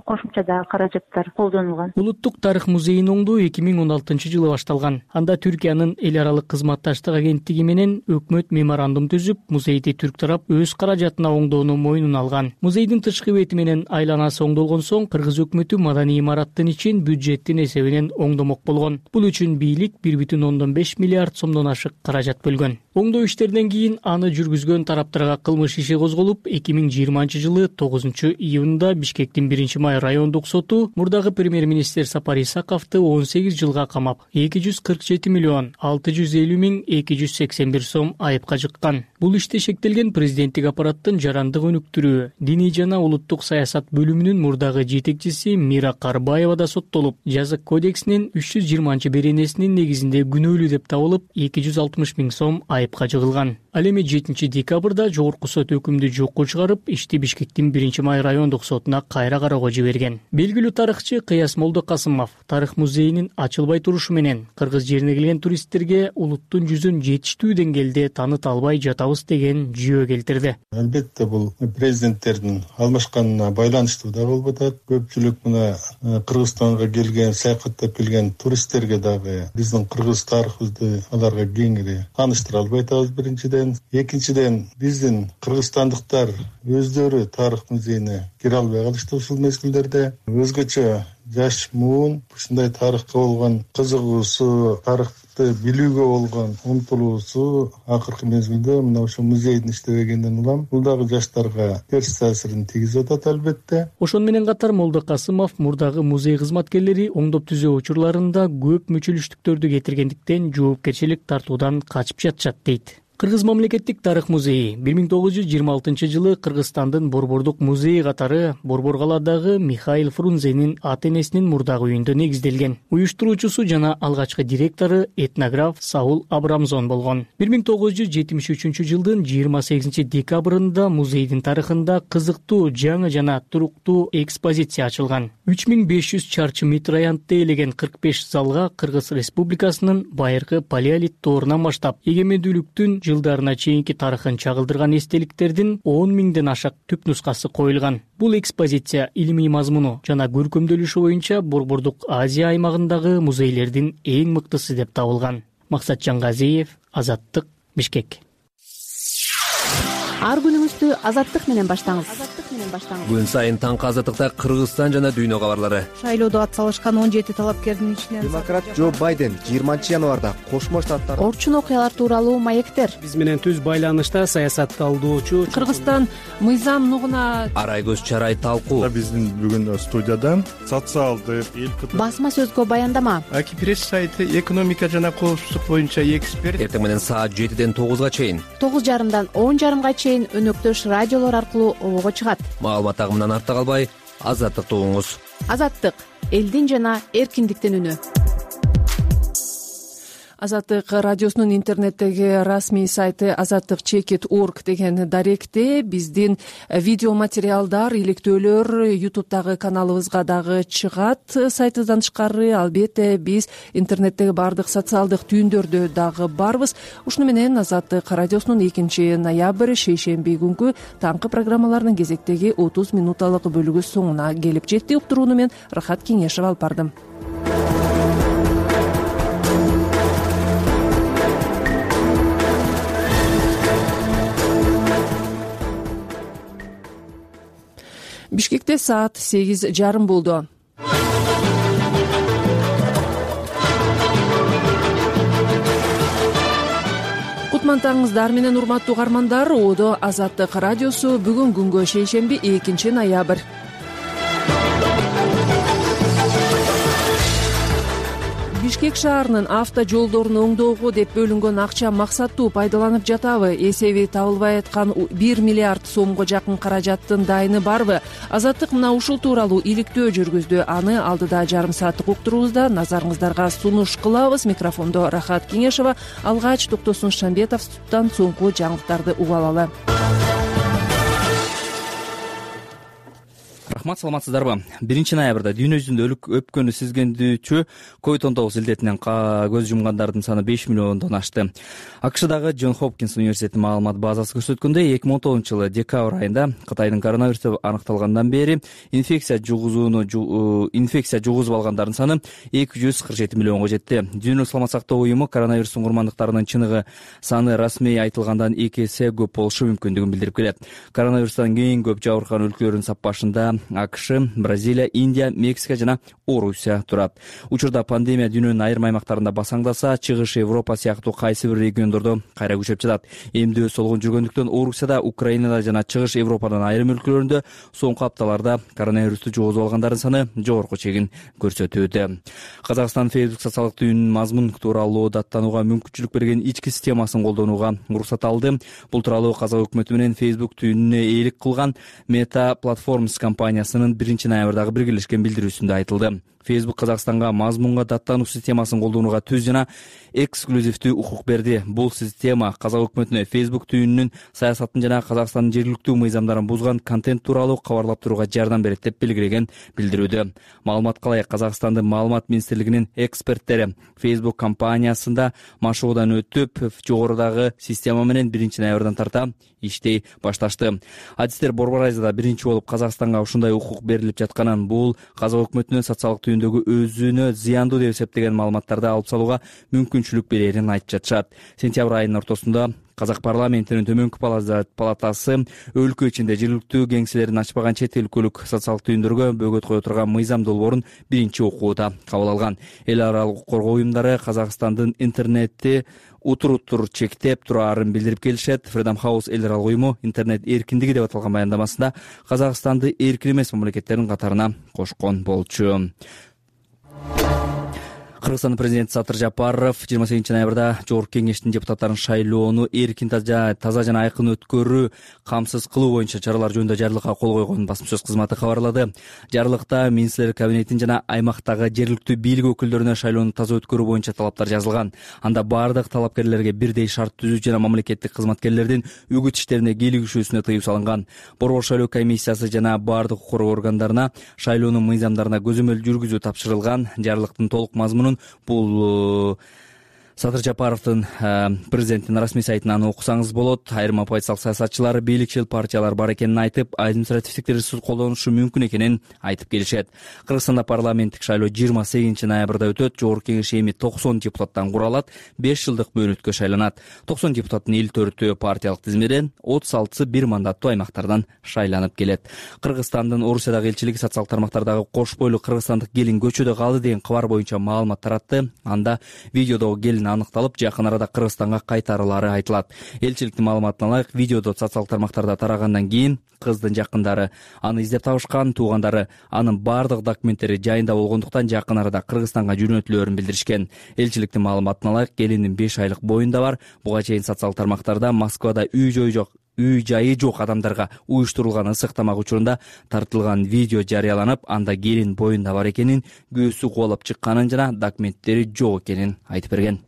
кошумча да каражаттар колдонулган. Улуттук тарых музейин оңдоо 2016-жылы башталган. Анда Түркиянын эл аралык кызматташтык агенттиги менен өкмөт меморандум түзүп, музейди түрк тарап өз каражатына оңдоону мойнуна алган. Музейдин тышкы бети менен айланасы оңдолгон соң кыргыз өкмөтү маданий имараттын ичин бюджеттин эсебинен оңдомок болгон. Бул үчүн бийлик 1,5 миллиард сомдон ашык каражат бөлгөн. Оңдоо иштеринен кийин аны жүргүзгөн тараптарга кылмыш иши козголуп, 2020-жылы 9-июнда Бишкектин 1-май райондук соту мурдагы премьер-министр Сапар Исаковду 18 жылга камап, 247 миллион 650 миң 281 сом айыпка жыккан. Бул иште шектелген президенттик аппараттын жарандык өнүктүрүү, диний жана улуттук саясат бөлүмүнүн мурдагы жетекчиси Мира Карбаева да соттолуп, жазык кодексинин 320-беренесинин негизинде күнөөлүү деп табылып, 260 миң сом айыпка жыгылган. Ал эми 7-декабрда жогорку сот өкүмдү жокко чыгарып, ишти Бишкектин 1-май райондук сотуна кайра кароого жиберген. Белгилүү тарыхчы Кыяс Молдокасымов тарых музейинин ачылбай турушу менен кыргыз жерине келген туристтерге улуттун жүзүн жетиштүү деңгээлде тааныта албай жатабыз деген жүйө келтирди. Албетте бул президенттердин алмашканына байланыштуу да болуп атат. Көпчүлүк мына Кыргызстанга келген, саякаттап келген туристтерге дагы биздин кыргыз тарыхыбызды аларга кеңири тааныштыра албай атабыз биринчиден. Экинчиден биздин кыргызстандыктар өздөрү тарых музейине кире албай калышты ушул мезгилдерде. Өзгөчө жаш муун ушундай тарыхка болгон кызыгуусу, тарыхты билүүгө болгон умтулуусу акыркы мезгилде мына ошо музейдин иштебегенден улам бул дагы жаштарга терс таасирин тийгизип атат албетте. Ошону менен катар Молдокасымов мурдагы музей кызматкерлери оңдоп түзөө учурларында көп мүчүлүштүктөрдү кетиргендиктен жоопкерчилик тартуудан качып жатышат дейт. Кыргыз мамлекеттик тарых музейи 1926-жылы Кыргызстандын Борбордук музейи катары Борбор калаадагы Михаил Фрунзенин ата-энесинин мурдагы үйүндө негизделген. Уюштуруучусу жана алгачкы директору этнограф Саул Абрамзон болгон. 1973-жылдын 28-декабрында музейдин тарыхында кызыктуу, жаңы жана туруктуу экспозиция ачылган. 3500 чарчы метр аянтты ээлеген 45 залга Кыргыз Республикасынын байыркы палеолит доорунан баштап эгемендүүлүктүн жылдарына чейинки тарыхын чагылдырган эстеликтердин 10 миңден ашык түп нускасы коюлган. Бул экспозиция илимий мазмуну жана көркөмдөлүшү боюнча Борбордук Азия аймагындагы музейлердин эң мыктысы деп табылган. Максатжан Газиев, Азаттык, Бишкек. ар күнүңүздү Азаттык менен баштаңыз. Күн сайын таңкы Азаттыкта Кыргызстан жана дүйнө кабарлары. Шайлоодо ат салышкан 17 талапкердин ичинен демократ Джо Байден 20 январда Кошмо Штаттар орчун окуялар тууралуу маектер. Биз менен түз байланышта саясат талдоочу Кыргызстан мыйзам нугуна Арай көз чарай талкуу. Биздин бүгүн студияда социалдык басма сөзгө баяндама. Аки пресс сайты экономика жана коопсуздук боюнча эксперт. Эртең менен саат 7ден 9га чейин 9:30дан 10:30га чейин өнөктөш радиолор аркылуу обого чыгат. Маалымат агымынан артта калбай, Азаттыкты угуңуз. Азаттык — элдин жана эркиндиктин үнү. Азаттык радиосунун интернеттеги расмий сайты azattik.org деген даректе биздин видео материалдар, иликтөөлөр YouTube'дагы каналыбызга дагы чыгат. Сайтыбыздан тышкары албетте биз интернеттеги бардык социалдык түйүндөрдө дагы барбыз. Ушуну менен Азаттык радиосунун 2-ноябрь шейшемби күнкү таңкы программаларынын кезектеги 30 минуталык бөлүгү соңуна келип жетти. Уктурууну мен Рахат Кеңешева алып бардым. Бишкекте саат 8:30 болду. Кутмантаңыздар менен урматтуу угармандар, Одо Азаттык радиосу бүгүн күнгө шейшемби 2-ноябрь. Бишкек шаарынын авто жолдорун оңдоого деп бөлүнгөн акча максаттуу пайдаланып жатабы? Эсеби табылбай аткан 1 миллиард сомго жакын каражаттын дайыны барбы? Азаттык мына ушул тууралуу иликтөө жүргүздү. Аны алдыда жарым сааттык уктуруубузда назарыңыздарга сунуш кылабыз. Микрофондо Рахат Кеңешева. Алгач Токтосун Шамбетовдон соңку жаңылыктарды угуп алалы. Рахмат, саламатсыздарбы? 1-ноябрда дүйнө жүзүндө өпкөнү сезгендүүчү COVID-19 илдетинен көз жумгандардын саны 5 миллиондон ашты. АКШдагы Джон Хопкинс университетинин маалымат базасы көрсөткөндөй, 2019 декабрь айында Кытайдын коронавирусу аныкталгандан бери инфекция жугузуп алгандардын саны 247 миллионго жетти. Дүйнөлүк саламат сактоо уюму коронавирустун курмандыктарынын чыныгы саны расмий айтылгандан 2 эсе көп болушу мүмкүндүгүн билдирип келет. Коронавирустан эң көп жабыркаган өлкөлөрдүн саппашында АКШ, Бразилия, Индия, Мексика жана Орусия турат. Учурда пандемия дүйнөнүн айрым аймактарында басаңдаса, чыгыш Европа сыяктуу кайсы бир региондордо кайра күчөп жатат. Эмдөө солгун жүргөндүктөн Орусияда, Украинада жана чыгыш Европанын айрым өлкөлөрүндө соңку апталарда коронавирусту жугузуп алгандардын саны жогорку чегин көрсөтүүдө. Казакстан Facebook социалдык түйүнүн мазмун тууралуу даттанууга мүмкүнчүлүк берген ички системасын колдонууга уруксат алды. Бул тууралуу Казак өкмөтү менен Facebook түйүнүнө ээлик кылган Meta Platforms компаниясынын 1-ноябрдагы биргелешкен билдирүүсүндө айтылды. Facebook Казакстанга мазмунга даттануу системасын колдонууга түз жана эксклюзивдүү укук берди. Бул система Казак өкмөтүнө Facebook түйүнүнүн саясатын жана Казакстандын жергиликтүү мыйзамдарын бузган контент тууралуу кабарлап турууга жардам берет деп белгилеген билдирүүдө. Маалымат калай, Казакстандын маалымат министрлигинин эксперттери Facebook компаниясында машыгуудан өтүп, жогорудагы система менен 1-ноябрдан тарта иштей башташты. Адистер Борбор Айзада биринчи болуп Казакстанга ушундай укук берилип жатканын, бул Казак өкмөтүнүн социалдык түйүндөгү өзүнө зыяндуу деп эсептеген маалыматтарды алып салууга мүмкүнчүлүк берерин айтып жатышат. Сентябрь айынын ортосунда Казак парламентинин төмөнкү палатасы өлкө ичинде жергиликтүү кеңселерин ачпаган чет өлкөлүк социалдык түйүндөргө бөгөт кое турган мыйзам долбоорун биринчи окууда кабыл алган. Эл аралык коргоо уюмдары Казакстандын интернетти утуруттур чектеп турарын билдирип келишет. Freedom House эл аралык уюму интернет эркиндиги деп аталган баяндамасында Казакстанды эркин эмес мамлекеттердин катарына кошкон болчу. Кыргызстандын президенти Сатыр Жапаров 28-ноябрда Жогорку Кеңештин депутаттарын шайлоону эркин, таза жана айкын өткөрүү камсыз кылуу боюнча чаралар жөнүндө жарлыкка кол койгонун басма-сөз кызматы кабарлады. Жарлыкта министрлер кабинетин жана аймактагы жергиликтүү бийлик өкүлдөрүнө шайлоону таза өткөрүү боюнча талаптар жазылган. Анда бардык талапкерлерге бирдей шарт түзүү жана мамлекеттик кызматкерлердин үгүт иштерине кийлигишүүсүнө тыюу салынган. Борбор шайлоо комиссиясы жана бардык укук коргоо органдарына шайлоонун мыйзамдарына көзөмөл жүргүзүү тапшырылган. Жарлыктын толук мазмунун бул Садыр Жапаровдун президенттин расмий сайтынан окусаңыз болот. Айрым оппозициялык саясатчылар бийликчил партиялар бар экенин айтып, административдик ресурс колдонушу мүмкүн экенин айтып келишет. Кыргызстанда парламенттик шайлоо 28 ноябрда өтөт. Жогорку кеңеш эми 90 депутаттан куралат, 5 жылдык мөөнөткө шайланат. 90 депутаттын 54-өө партиялык тизмеден, 36-сы бир мандаттуу аймактардан шайланып келет. Кыргызстандын Орусиядагы элчилиги социалдык тармактардагы кош бойлуу кыргызстандык келин көчөдө калды деген кабар боюнча маалымат таратты. Анда видеодогу келин аныкталып, жакын арада Кыргызстанга кайтарылары айтылат. Элчиликтин маалыматына ылайык, видеодо социалдык тармактарда тарагандан кийин кыздын жакындары аны издеп табышкан, туугандары анын бардык документтери жайында болгондуктан жакын арада Кыргызстанга жөнөтүлөөрүн билдиришкен. Элчиликтин маалыматына ылайык, келиндин 5 айлык боюнда бар. Буга чейин социалдык тармактарда Москвада үй жайы жок адамдарга уюштурулган ысык тамак учурунда тартылган видео жарыяланып, анда келин боюнда бар экенин, көөсү кубалап чыкканын жана документтери жок экенин айтып берген.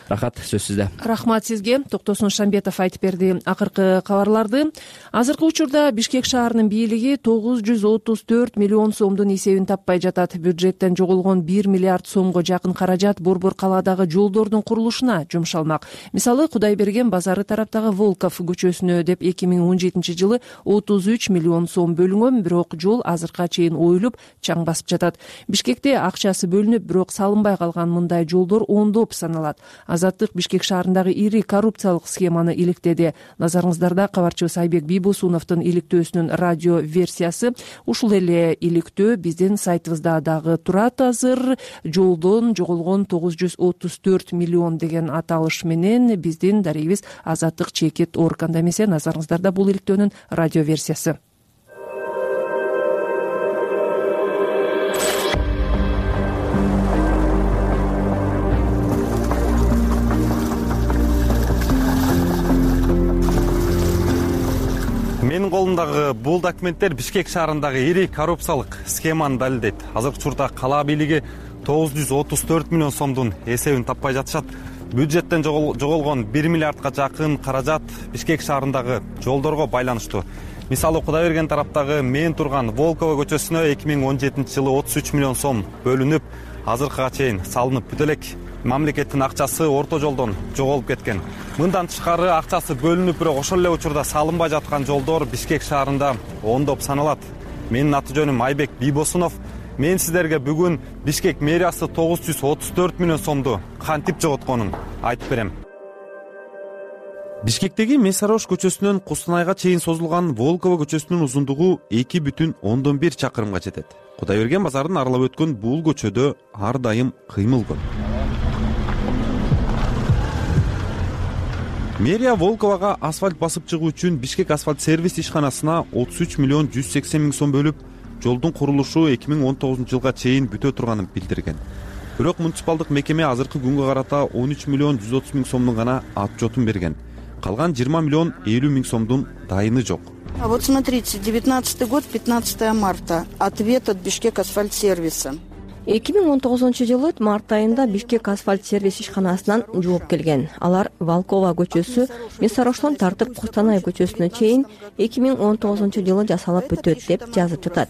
Рахат, сөз сизде. Рахмат сизге. Токтосун Шамбетов айтып берди акыркы кабарларды. Азыркы учурда Бишкек шаарынын бийлиги 934 миллион сомдун эсебин таппай жатат. Бюджеттен жоголгон 1 миллиард сомго жакын каражат Борбор калаадагы жолдордун курулушуна жумшалмак. Мисалы, Кудайберген базары тараптагы Волков көчөсүнө деп 2017 жылы 33 миллион сом бөлүнгөн, бирок жол азыркыга чейин оюлуп, чаң басып жатат. Бишкекте акчасы бөлүнүп, бирок салынбай калган мындай жолдор ондоп саналат. Азаттык Бишкек шаарындагы ири коррупциялык схеманы иликтеди. Назарыңыздарда кабарчыбыз Айбек Бийбосуновдун иликтөөсүнүн радио версиясы. Ушул эле иликтөө биздин сайтыбызда дагы турат азыр. Жолдон жоголгон 934 миллион деген аталыш менен биздин дарегибиз Азаттык чекит органда эмесе. Назарыңыздарда бул иликтөөнүн радио версиясы. Менин колумдагы бул документтер Бишкек шаарындагы ири коррупциялык схеманы далилдейт. Азыркы учурда кала бийлиги 934 миллион сомдун эсебин таппай жатышат. Бюджеттен жоголгон 1 миллиардка жакын каражат Бишкек шаарындагы жолдорго байланыштуу. Мисалы, Кудайберген тараптагы мен турган Волкова көчөсүнө 2017 жылы 33 миллион сом бөлүнүп, азыркыга чейин салынып бүтө элек. Мамлекеттин акчасы орто жолдон жоголуп кеткен. Мындан тышкары акчасы бөлүнүп, бирок ошол эле учурда салынбай жаткан жолдор Бишкек шаарында ондоп саналат. Менин аты жөнүм Айбек Бийбосунов. Мен сиздерге бүгүн Бишкек мэриясы 934 миллион сомду кантип жоготконун айтып берем. Бишкектеги Месарош көчөсүнөн Кустанайга чейин созулган Волкова көчөсүнүн узундугу 2,1 чакырымга жетет. Кудайберген базарын аралап өткөн бул көчөдө ар дайым кыймыл көп. Мэрия Волковага асфальт басып чыгуу үчүн Бишкек асфальт сервис ишканасына 33 миллион 180 миң сом бөлүп, жолдун курулушу 2019 жылга чейин бүтө турганын билдирген. Бирок муниципалдык мекеме азыркы күнгө карата 13 миллион 130 миң сомдун гана отчетун берген. Калган 20 миллион 50 миң сомдун дайыны жок. А вот смотрите, 19 год, 15 марта. Ответ от Бишкек асфальт сервиса. 2019 жылы март айында Бишкек асфальт сервис ишканасынан жооп келген. Алар Волкова көчөсү Месароштон тартып Кустанай көчөсүнө чейин 2019 жылы жасалып бүтөт деп жазып жатат.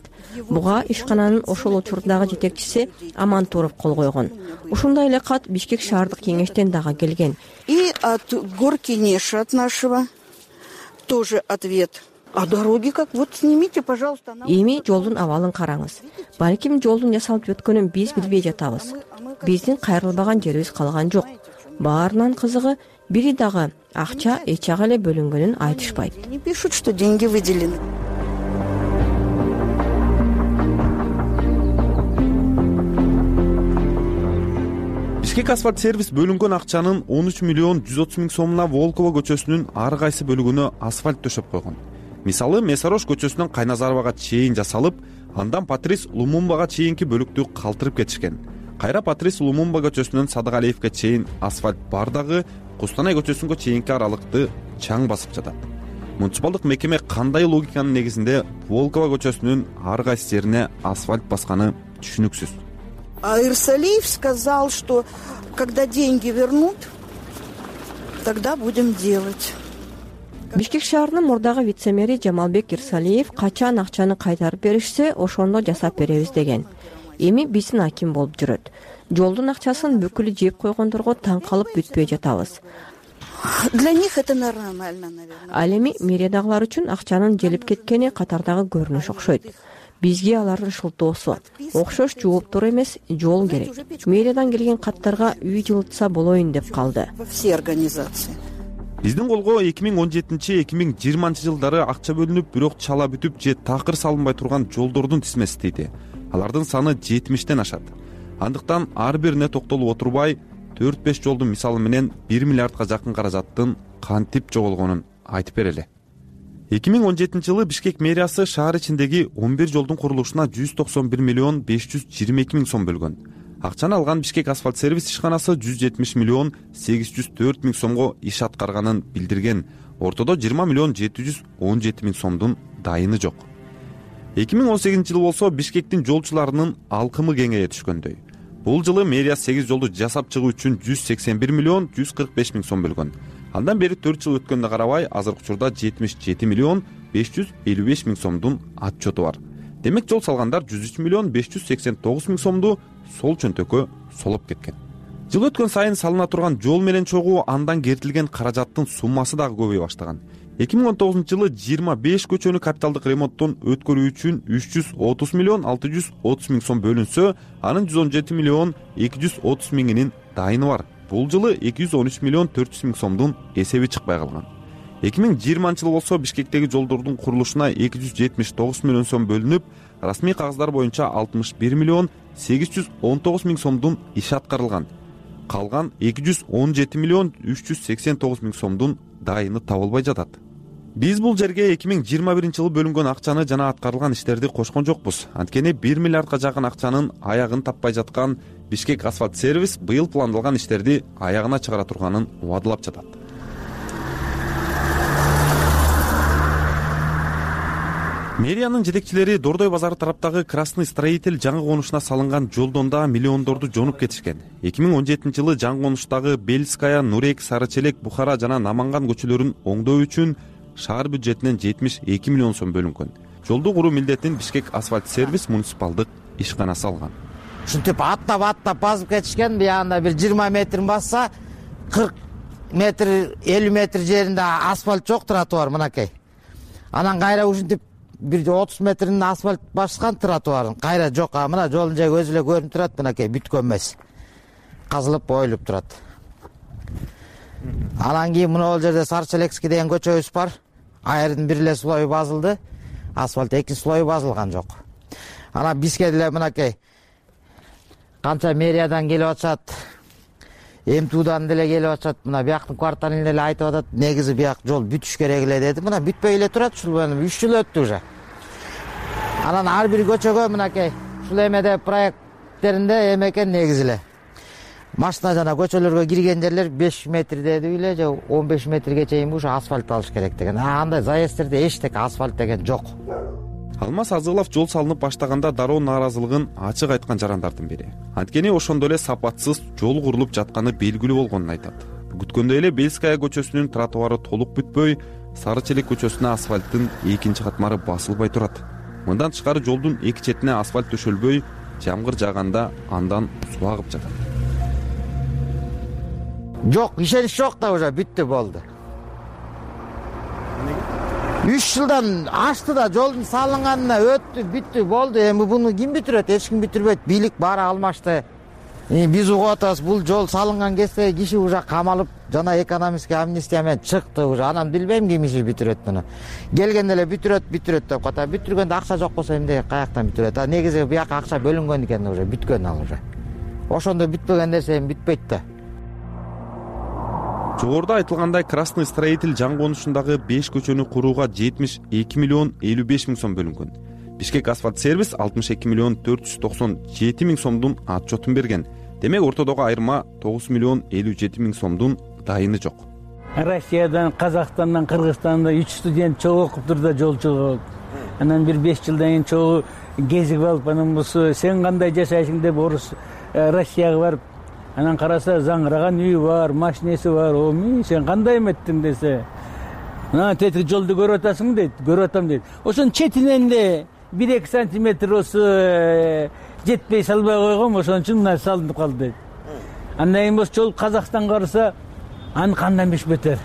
Буга ишкананын ошол учурдагы жетекчиси Аман Туров кол койгон. Ушундай эле кат Бишкек шаардык кеңештен дагы келген. И от горкинеша от нашего тоже ответ. А дороги как? Вот снимите, пожалуйста. Эми жолдун абалын караңыз. Балким жолдун жасалып өткөнүн биз билбей жатабыз. Биздин кайрылбаган жерибиз калган жок. Баарынан кызыгы бири дагы акча эч жагы эле бөлүнгөнүн айтышпайт. Не пишут, что деньги выделены. Бишкек асфальт сервис бөлүнгөн акчанын 13 миллион 130 миң сомуна Волкова көчөсүнүн ар кайсы бөлүгүнө асфальт төшөп койгон. Мисалы, Месарош көчөсүнөн Кайназаровага чейин жасалып, андан Патрис Лумумбага чейинки бөлүктү калтырып кетишкен. Кайра Патрис Лумумба көчөсүнөн Садыгалиевге чейин асфальт бар дагы, Кустанай көчөсүнгө чейинки аралыкты чаң басып жатат. Муниципалдык мекеме кандай логиканын негизинде Волкова көчөсүнүн ар кайсы жерине асфальт басканы түшүнүксүз. А Ирсалиев сказал, что когда деньги вернут, тогда будем делать. Бишкек шаарынын мурдагы вице-мэри Жамалбек Ирсалиев качан акчаны кайтарып беришсе, ошондо жасап беребиз деген. эми биздин аким болуп жүрөт. Жолдун акчасын бүкүлү жеп койгондорго таң калып бүтпөй жатабыз. Для них это нормально, наверное. Ал эми мэриядагылар үчүн акчанын желип кеткени катардагы көрүнүш окшойт. Бизге алардын шылтоосу окшош жооптор эмес, жол керек. Мэриядан келген каттарга үй жылытса болоюн деп калды. Все организации. Биздин колго 2017-2020 жылдары акча бөлүнүп, бирок чала бүтүп же такыр салынбай турган жолдордун тизмеси дейди. Алардын саны 70тен ашат. Андыктан ар бирине токтолуп отурбай, 4-5 жолдун мисалы менен 1 миллиардка жакын каражаттын кантип жоголгонун айтып берели. 2017 жылы Бишкек мэриясы шаар ичиндеги 11 жолдун курулушуна 191 миллион 522 миң сом бөлгөн. Акчаны алган Бишкек асфальт сервис ишканасы 170 миллион 804 миң сомго иш аткарганын билдирген. Ортодо 20 миллион 717 миң сомдун дайыны жок. 2018 жылы болсо Бишкектин жолчуларынын алкымы кеңейе түшкөндөй. Бул жылы мэрия 8 жолду жасап чыгуу үчүн 181 миллион 145 миң сом бөлгөн. Андан бери 4 жыл өткөнгө карабай, азыркы учурда 77 миллион 555 миң сомдун отчету бар. Демек жол салгандар 103 миллион 589 миң сомду сол чөнтөккө солоп кеткен. Жыл өткөн сайын салына турган жол менен чогуу андан кертилген каражаттын суммасы дагы көбөйө баштаган. 2019 жылы 25 көчөнү капиталдык ремонттон өткөрүү үчүн 330 миллион 630 миң сом бөлүнсө, анын 117 миллион 230 миңинин дайыны бар. Бул жылы 213 миллион 400 миң сомдун эсеби чыкпай калган. 2020 жылы болсо Бишкектеги жолдордун курулушуна 279 миллион сом бөлүнүп, расмий кагаздар боюнча 61 миллион 819 миң сомдун иш аткарылган. Калган 217 миллион 389 миң сомдун дайыны табылбай жатат. Биз бул жерге 2021 жылы бөлүнгөн акчаны жана аткарылган иштерди кошкон жокпуз. Анткени 1 миллиардка жакын акчанын аягын таппай жаткан Бишкек асфальт сервис быйыл пландалган иштерди аягына чыгара турганын убадылап жатат. Мэриянын жетекчилери Дордой базары тараптагы Красный строитель жаңы конушуна салынган жолдон да миллиондорду жонуп кетишкен. 2017 жылы жаңы конуштагы Бельская, Нурек, Сарычелек, Бухара жана Наманган көчөлөрүн оңдоо үчүн шаар бюджетинен 72 миллион сом бөлүнгөн. Жолду куруу милдетин Бишкек асфальт сервис муниципалдык ишканасы алган. Ушинтип аттап басып кетишкен. Буягында бир 20 метрин басса, 40 метр, 50 метр жеринде асфальт жок, тротуар мынакей. Анан кайра ушинтип бир 30 метрин асфальт баскан тротуарын кайра жок. Мына жолдун жайы өзү эле көрүнүп турат, мынакей бүткөн эмес. Казылып оюлуп турат. Анан кийин мына бул жерде Сарычелекский деген көчөбүз бар. Айрдын бир эле слою басылды, асфальт эки слою басылган жок. Анан бизге деле мынакей канча мэриядан келип атышат, МТУдан деле келип атышат. Мына бияктын кварталын деле айтып атат, негизи бияк жол бүтүш керек эле деди. Мына бүтпөй эле турат, ушул 3 жыл өттү уже. Анан ар бир көчөгө мынакей ушул эмеде проекттеринде эме экен негизи эле. Машина жана көчөлөргө кирген жерлер 5 метр деди эле, же 15 метрге чейин ушу асфальт алыш керек деген. Андай заезддерде эчтеке асфальт деген жок. Алмаз Азылов жол салынып баштаганда дароо нааразылыгын ачык айткан жарандардын бири. Анткени ошондо эле сапатсыз жол курулуп жатканы белгилүү болгонун айтат. Күткөндөй эле Бельская көчөсүнүн тротуары толук бүтпөй, Сарычелек көчөсүнө асфальттын экинчи катмары басылбай турат. Мындан тышкары жолдун эки четине асфальт төшөлбөй, жамгыр жааганда андан суу агып жатат. Жок, ишенич жок да, уже бүттү, болду. 3 жылдан ашты да, жолдун салынганына өттү, бүттү, болду. Эми буну ким бүтүрөт? Эч ким бүтүрбөйт. Бийлик баары алмашты. Биз угуп атабыз, бул жол салынган кезде киши уже камалып, жана экономический амнистия менен чыкты уже. Анан билбейм ким иши бүтүрөт муну. Келгенде эле бүтүрөт деп ката. Бүтүргөндө акча жок болсо эмне каяктан бүтүрөт? Негизи бияка акча бөлүнгөн экен уже, бүткөн ал уже. Ошондо бүтпөгөн нерсе эми бүтпөйт да. Жогоруда айтылгандай, Красный строитель жаңы конушундагы 5 көчөнү курууга 72 миллион 55 миң сом бөлүнгөн. Бишкек асфальт сервис 62 миллион 497 миң сомдун отчетун берген. Демек ортодогу айырма 9 миллион 57 миң сомдун дайыны жок. Россиядан, Казакстандан, Кыргызстандан 3 студент чогуу окуп турду жолчулук. Анан бир 5 жылдан кийин чогуу кезип алып, анан болсо сен кандай жашайсың деп орус Россияга барып, анан караса заңыраган үйү бар, машинеси бар. Сен кандай эметтиң десе, тетиги жолду көрүп атасың дейт. Көрүп атам дейт. Ошонун четинен эле 1-2 сантиметр осы жетпей салбай койгом, ошон үчүн мына салынып калды дейт. Андан кийин болсо жол Казакстанга барса, аны кандан беш бетер.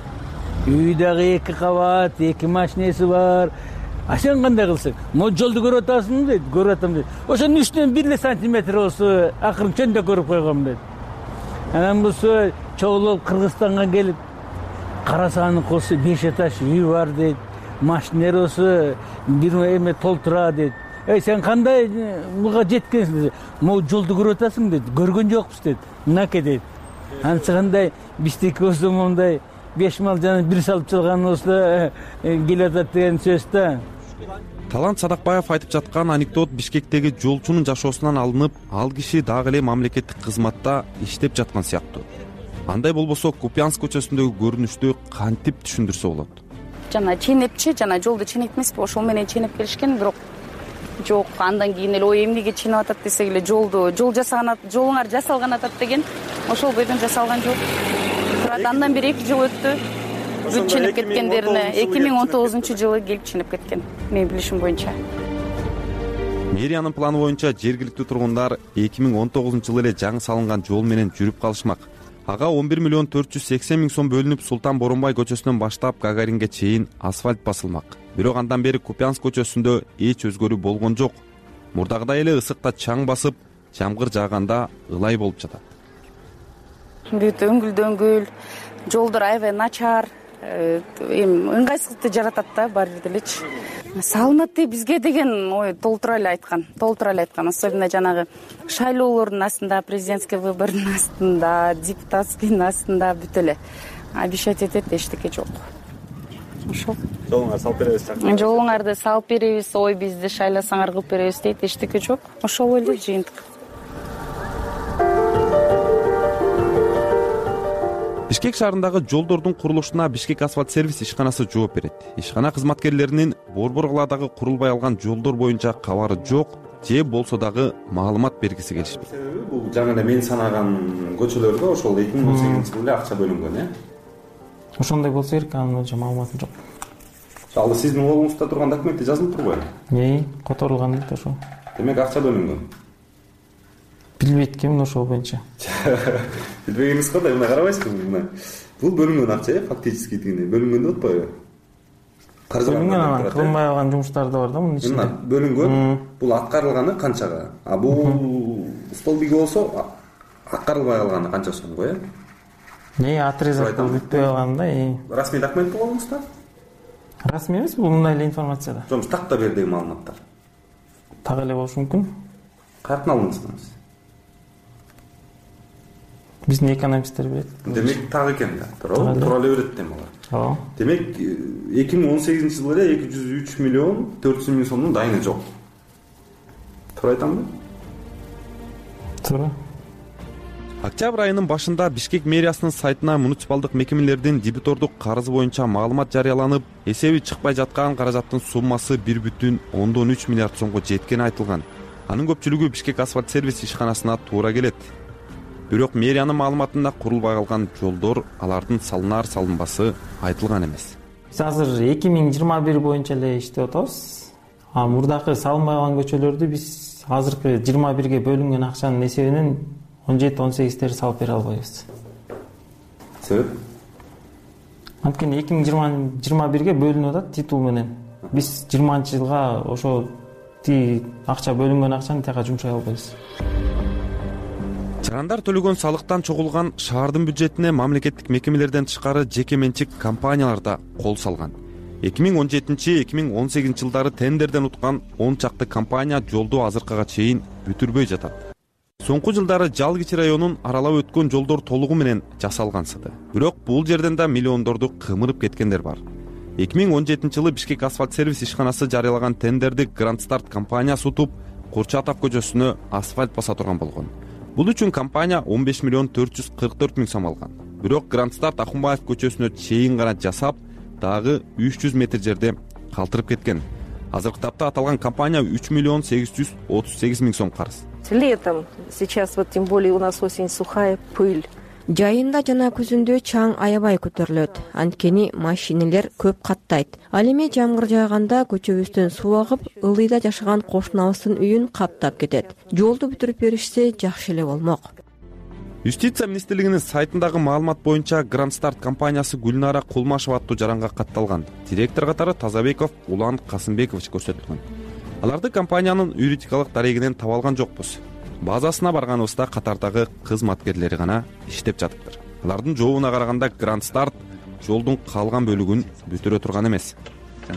Үй дагы 2 кабат, 2 машинеси бар. А сен кандай кылсаң? Могу жолду көрүп атасың дейт, көрүп атам дейт. Ошонун үстүнөн 1 сантиметр болсо, акырын чөндө көрүп койгом дейт. Анан болсо чогулуп Кыргызстанга келип караса аны колсо 5 этаж үй бар дейт. Машинер болсо бир эме толтура дейт. Сен кандай буга жеткенсиң дейт. Могу жолду көрүп атасың дейт. Көргөн жокпуз дейт. Мынаке дейт. Анысы кандай биздики болсо мондай 5 мал жана 1 салып чалган болсо келатат деген сөз да. Талант Садакбаев айтып жаткан анекдот Бишкектеги жолчунун жашоосунан алынып, ал киши дагы эле мамлекеттик кызматта иштеп жаткан сыяктуу. Андай болбосо Купянск көчөсүндөгү көрүнүштү кантип түшүндүрсө болот? Жана ченепчи, жана жолду ченек эмеспи, ошол менен ченеп келишкен, бирок жок, андан кийин эле ой эмнеге ченеп атат десек эле жол жасаган, жолуңар жасалган атат деген, ошол бойдон жасалган жол. Турат, андан бери 2 жыл өттү. Бүт ченеп кеткендерине 2019-жылы келип ченеп кеткен, менин билишим боюнча. Мэриянын планы боюнча жергиликтүү тургундар 2019-жылы эле жаңы салынган жол менен жүрүп калышмак. Ага 11 миллион 480 миң сом бөлүнүп, Султан Боронбай көчөсүнөн баштап Гагаринге чейин асфальт басылмак. Бирок андан бери Купянск көчөсүндө эч өзгөрүү болгон жок. Мурдагыдай эле ысыкта чаң басып, жамгыр жааганда ылай болуп жатат. Бүт өңгүл, жолдор аябай начар, ыңгайсыздыкты жаратат да бар жерде элечи. Салынат деп бизге деген ой толтура эле айткан. Особенно жанагы шайлоолордун астында, президентский выбордун астында, депутатскийдин астында бүт эле обещать этет, эчтеке жок. Ошол. Жолуңарды салып беребиз. Жолуңарды салып беребиз, ой бизди шайласаңар кылып беребиз дейт, эчтеке жок. Ошол эле жыйынтык. Бишкек шаарындагы жолдордун курулушуна Бишкек асфальт сервис ишканасы жооп берет. Ишкана кызматкерлеринин борбор каладагы курулбай алган жолдор боюнча кабары жок, же болсо дагы маалымат бергиси келишпейт. Себеби бул жаңы эле мен санаган көчөлөргө ошол 2018-жылы эле акча бөлүнгөн, Ошондой болсо керек, анын боюнча маалыматым жок. Ал сиздин колуңузда турган документте жазылып турбайбы? Которулган дейт ошол. Демек акча бөлүнгөн. Билбейт экенмин ошол боюнча. Билбегениңиз кандай, мына карабайсызбы? Бул бөлүнгөн акча, фактически дегенде бөлүнгөн деп атпайбы? Бөлүнгөн, анан кылынбай калган жумуштар да бар да мунун ичинде. Бөлүнгөн, бул аткарылганы канчага? А бул столбиги болсо аткарылбай калганы канча сомго, Отрезок бүтпөй калган да. Расмий документ болгонуңузда? Расмий эмес, бул мындай эле информация да. Жок, такта бердиги маалыматтар. Так эле болушу мүмкүн. Каяктан алдыңыз? Биздин экономисттер берет. Демек так экен да. Тура эле берет дейм алар. Демек 2018-жылы эле 203 миллион 400 миң сомдун дайыны жок. Туура айтамбы? Туура. Октябрь айынын башында Бишкек мэриясынын сайтына муниципалдык мекемелердин дебитордук карызы боюнча маалымат жарыяланып, эсеби чыкпай жаткан каражаттын суммасы 1,3 миллиард сомго жеткени айтылган. Анын көпчүлүгү Бишкек асфальт сервис ишканасына туура келет. Бирок мэриянын маалыматында курулбай калган жолдор, алардын салынар-салынбасы айтылган эмес. Биз азыр 2021 боюнча эле иштеп атабыз. Мурдакы салынбай калган көчөлөрдү биз азыркы 21ге бөлүнгөн акчанын эсебинен 17-18 салып бере албайбыз. Себеп? Анткени 2021ге бөлүнүп атат титул менен. Биз 20-жылга ошо акча бөлүнгөн акчаны тияка жумшай албайбыз. Чыгандар төлөгөн салыктан чогулган шаардын бюджетине мамлекеттик мекемелерден тышкары жеке менчик компаниялар да кол салган. 2017-2018 жылдары тендерден уткан 10 чакты компания жолду азыркыга чейин бүтүрбөй жатат. Соңку жылдары Жалгичи районун аралап өткөн жолдор толугу менен жасалгансыды. Бирок бул жерден да миллиондорду кымырып кеткендер бар. 2017-жылы Бишкек асфальт сервис ишканасы жарыялаган тендерди Grand Start компаниясы утуп, Курчатов көчөсүнө асфальт баса турган болгон. Бул үчүн компания 15 миллион 444 миң сом алган. Бирок Grand Start Ахунбаев көчөсүнө чейин гана жасап, дагы 300 метр жерде калтырып кеткен. Азыркы тапта аталган компания 3 миллион 838 миң сом карыз. Летом, сейчас вот тем более у нас осень сухая, пыль. Жайында жана күзүндө чаң аябай көтөрүлөт, анткени машинелер көп каттайт. Ал эми жамгыр жааганда көчөбүздөн суу агып, ылдыйда жашаган кошунабыздын үйүн каптап кетет. Жолду бүтүрүп беришсе жакшы эле болмок. Юстиция министрлигинин сайтындагы маалымат боюнча Grand Start компаниясы Гүлнара Кулмашева аттуу жаранга катталган. Директор катары Тазабеков Улан Касымбекович көрсөтүлгөн. Аларды компаниянын юридикалык дарегинен таба алган жокпуз. Базасына барганыбызда катардагы кызматкерлери гана иштеп жатыптыр. Алардын жообуна караганда Grand Start жолдун калган бөлүгүн бүтүрө турган эмес.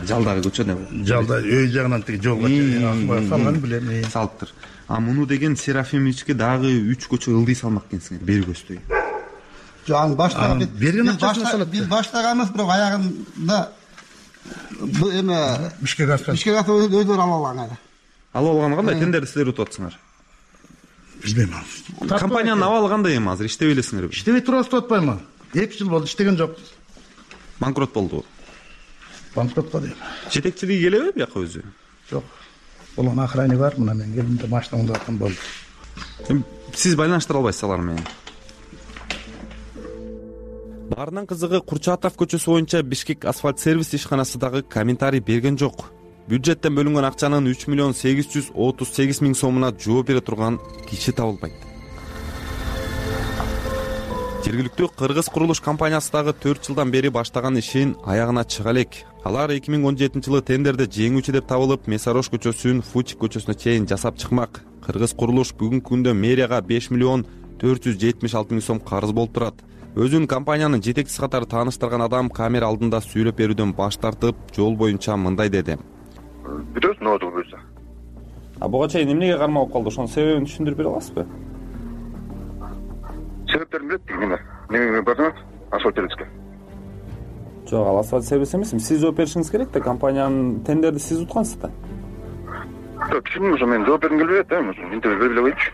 Жалдагы көчөнө жалда үй жагынан тиги жолго салган билем салыптыр. А муну деген Серафимовичке дагы 3 көчө ылдый салмак экенсиңер, бери көздөй. Жан баштаган берген акчасын салат. Биз баштаганбыз, бирок аягында бу эме Бишкек өздөрү ала алган. Ала алган кандай тендерди силер утуп атсыңар? Билбейм. Компаниянын абалы кандай эми азыр иштебей элесиңерби? Иштебей турасыз атпаймынбы? 2 жыл болду иштеген жокпуз. Банкрот болду. Банкротко дейм. Жетекчилиги келеби бияка өзү? Жок. Улан охрана бар, мына мен келдимде машинамды аттым болду. Сиз байланыштыра албайсыз алар менен. Баарынан кызыгы Курчатов көчөсү боюнча Бишкек асфальт сервис ишканасы дагы комментарий берген жок. Бюджеттен бөлүнгөн акчанын 3 миллион 838 миң сомуна жооп бере турган киши табылбайт. Жергиликтүү Кыргыз курулуш компаниясы дагы 4 жылдан бери баштаган ишин аягына чыга элек. Алар 2017 жылы тендерде жеңүүчү деп табылып, Месарош көчөсүн Фучик көчөсүнө чейин жасап чыкмак. Кыргыз курулуш бүгүнкү күндө мэрияга 5 миллион 476 миң сом карыз болуп турат. Өзүн компаниянын жетекчиси катары тааныштырган адам камера алдында сүйлөп берүүдөн баш тартып, жол боюнча мындай деди. Бүтөт ноуту болсо. Буга чейин эмнеге кармалып калды? Ошонун себебин түшүндүрүп бере аласызбы? Себептерин билет дейм. Эмне бардыңыз? Асфальт сервиске. Жок, ал асфальт сервис эмес. Сиз жооп беришиңиз керек да, компаниянын тендерди сиз уткансыз да. Жок, түшүндүм, ошо мен жооп бергим келбей атам. Интервью берип эле коеюнчу.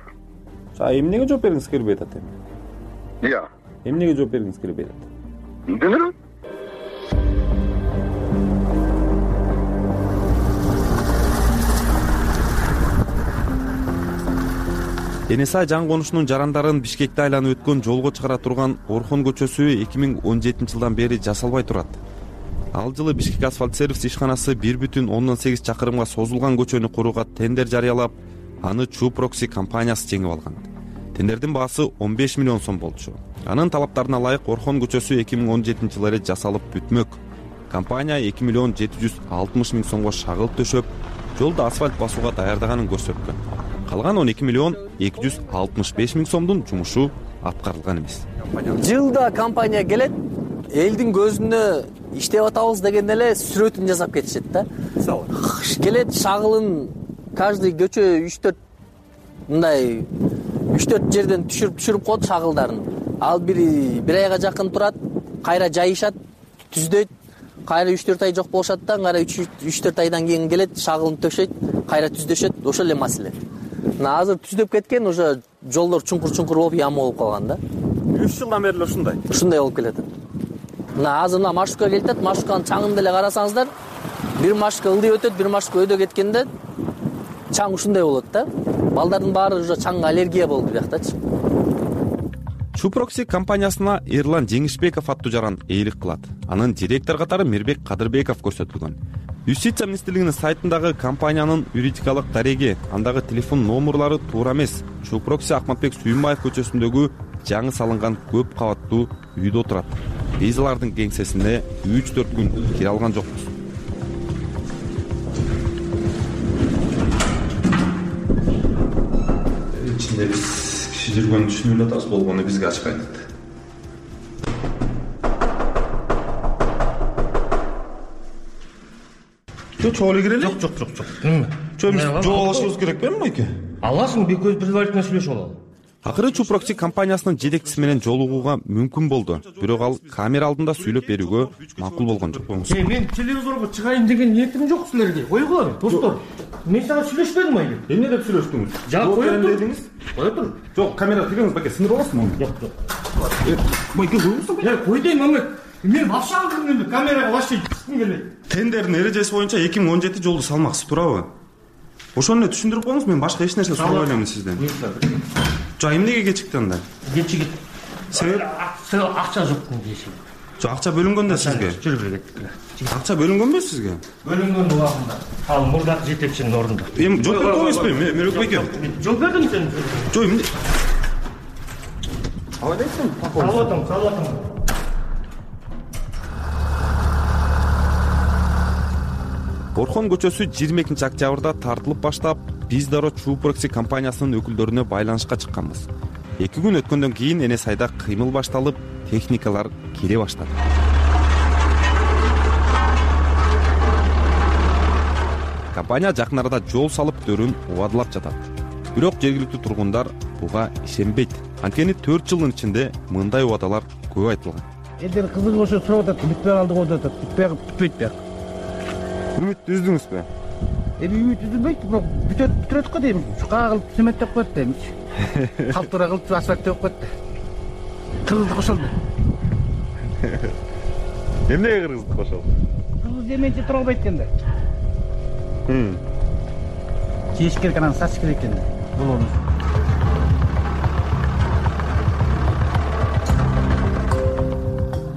Эмнеге жооп бергиңиз келбей атат эми? Ия. Эмнеге жооп бергиңиз келбей атат? Билбейм. Энеса жан конушунун жарандарын Бишкекте айланып өткөн жолго чыгара турган Орхон көчөсү 2017 жылдан бери жасалбай турат. Ал жылы Бишкек асфальт сервис ишканасы 1,8 чакырымга созулган көчөнү курууга тендер жарыялап, аны Чупрокси компаниясы жеңип алган. Тендердин баасы 15 миллион сом болчу. Анын талаптарына ылайык Орхон көчөсү 2017 жылы эле жасалып бүтмөк. Компания 2 миллион 760 миң сомго шагылып төшөп, жолду асфальт басууга даярдаганын көрсөткөн. Калган 12 миллион 265 миң сомдун жумушу аткарылган эмес. Жылда компания келет, элдин көзүнө иштеп атабыз деген эле сүрөтүн жасап кетишет да. Келет шагылын каждый көчө 3-4 мындай 3-4 жерден түшүрүп коет шагылдарын. Ал бир айга жакын турат, кайра жайышат, түздөйт, кайра 3-4 ай жок болушат да, кайра 3-4 айдан кийин келет, шагылын төшөйт, кайра түздөшөт, ошол эле маселе. Азыр түздөп кеткен, уже жолдор чуңкур болуп, яма болуп калган да. 3 жылдан бери эле ушундай. Ушундай болуп келет. Азыр маршрутка келет, маршрутканын чаңын деле карасаңыздар, бир маршрутка ылдый өтөт, бир маршрутка өйдө кеткенде чаң ушундай болот да. Балдардын баары уже чаңга аллергия болду бияктачы. Чупрокси компаниясына Эрлан Жеңишбеков аттуу жаран ээлик кылат. Анын директор катары Мирбек Кадырбеков көрсөтүлгөн. Юстиция министрлигинин сайтындагы компаниянын юридикалык дареги, андагы телефон номерлары туура эмес. Чупрокси Акматбек Сүйүнбаев көчөсүндөгү жаңы салынган көп кабаттуу үйдө отурат. Биз алардын кеңсесине 3-4 күн кире алган жокпуз. Ичинде биз киши жүргөнүн түшүнүп эле атабыз, болгону бизге ачпайт. Чоң эле кирели? Жок. Чоң жол алышыбыз керек белем байке? Аласың, бир көз предварительно сүйлөшүп алалы. Акыры Чупрокси компаниясынын жетекчиси менен жолугууга мүмкүн болду. Бирок ал камера алдында сүйлөп берүүгө макул болгон жок. Мен телевизорго чыгайын деген ниетим жок силерге. Койгула, достор. Мен сага сүйлөшпөдүм айыл. Эмне деп сүйлөштүңүз? Жак коюп дедиңиз? Кое тур. Жок, камера тигиңиз байке, сындырып аласызбы? Жок. Байке коюңуз. Кой дейм, Мамет. Мен вообще алдым камерага вообще чыккым келбейт. Тендердин эрежеси боюнча 2017 жолду салмаксыз, туурабы? Ошону түшүндүрүп коюңуз, мен башка эч нерсе сурабай элемин сизден. Жок, эмнеге кечикти анда? Кечигит. Себеп? Акча жок дешет. Акча бөлүнгөн да сизге? Жүрүп кеттик. Акча бөлүнгөнбү сизге? Бөлүнгөн убагында. Ал мурдак жетекчинин ордунда. Эми жооп берип койбойсузбу? Мөлөк беке. Жооп бердим сен. Жок, эмне? Алайсың? Салатым. Орхон көчөсү 22-октябрда тартылып баштап, биз дароо Чупрокси компаниясынын өкүлдөрүнө байланышка чыкканбыз. 2 күн өткөндөн кийин Эне сайда кыймыл башталып, техникалар келе баштады. Компания жакын арада жол салып өтөрүн убадылап жатат. Бирок жергиликтүү тургундар буга ишенбейт. Анткени 4 жылдын ичинде мындай убадалар көп айтылган. Элдер кызыгып ошо сурап атат, бүтпөй калды го деп атат. Бүтпөйт бияк. Үмүт үздүңүзбү? Үмүт үзүлбөйт, бирок бүтүрөт го дейм. Кагылып цементтеп коет дейм. Калтыра кылып асфальт деп коет. Кыргыздык ошол. Эмнеге кыргыздык ошол? Кыргыз эменче тура албайт экен да. Жеш керек, анан сатыш керек экен да. Болобуз.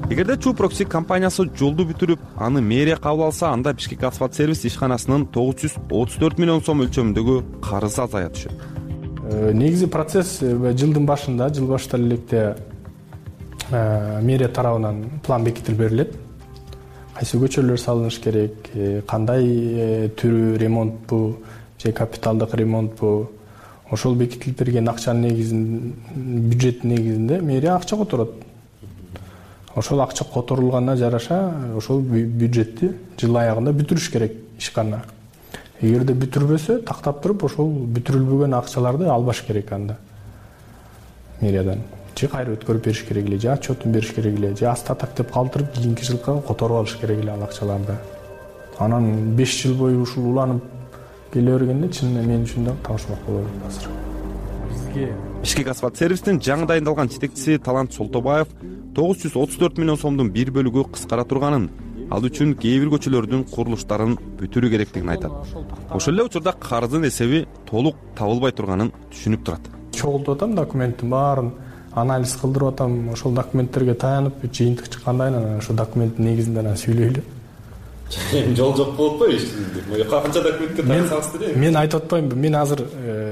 Эгерде Чупрокси компаниясы жолду бүтүрүп, аны мэрия кабыл алса, анда Бишкек асфальт сервис ишканасынын 934 миллион сом өлчөмүндөгү карызы азая түшөт. Негизи процесс жылдын башында, жыл башталар электе мэрия тарабынан план бекитилип берилет. Кайсы көчөлөр салыныш керек, кандай түрү ремонтпу же капиталдык ремонтпу, ошол бекитилип берген акчанын негизинде, бюджеттин негизинде мэрия акча которот. Ошол акча которулганына жараша ошол бюджетти жыл аягында бүтүрүш керек ишкана. Эгерде бүтүрбөсө, тактап туруп ошол бүтүрүлбөгөн акчаларды албаш керек анда мэриядан. Же кайра өткөрүп бериш керек эле, же отчетун бериш керек эле, же астатак деп калтырып кийинки жылга которуп алыш керек эле ал акчаларды. Анан 5 жыл бою ушул уланып келе бергенде чынында мен үчүн да таашмак болот азыр. Бизге Бишкек асфальт сервистин жаңы дайындалган жетекчиси Талант Солтобаев 934 миллион сомдун бир бөлүгү кыскара турганын, ал үчүн кээ бир көчөлөрдүн курулуштарын бүтүрүү керектигин айтат. Ошол эле учурда карыздын эсеби толук табылбай турганын түшүнүп турат. Чогултуп атам документтин баарын, анализ кылдырып атам, ошол документтерге таянып, жыйынтык чыккандан кийин ошол документтин негизинде анан сүйлөйлү. Жол жок болуп атпайбы эч? Канча документке таянсаңыз деле? Мен айтып атпаймынбы, мен азыр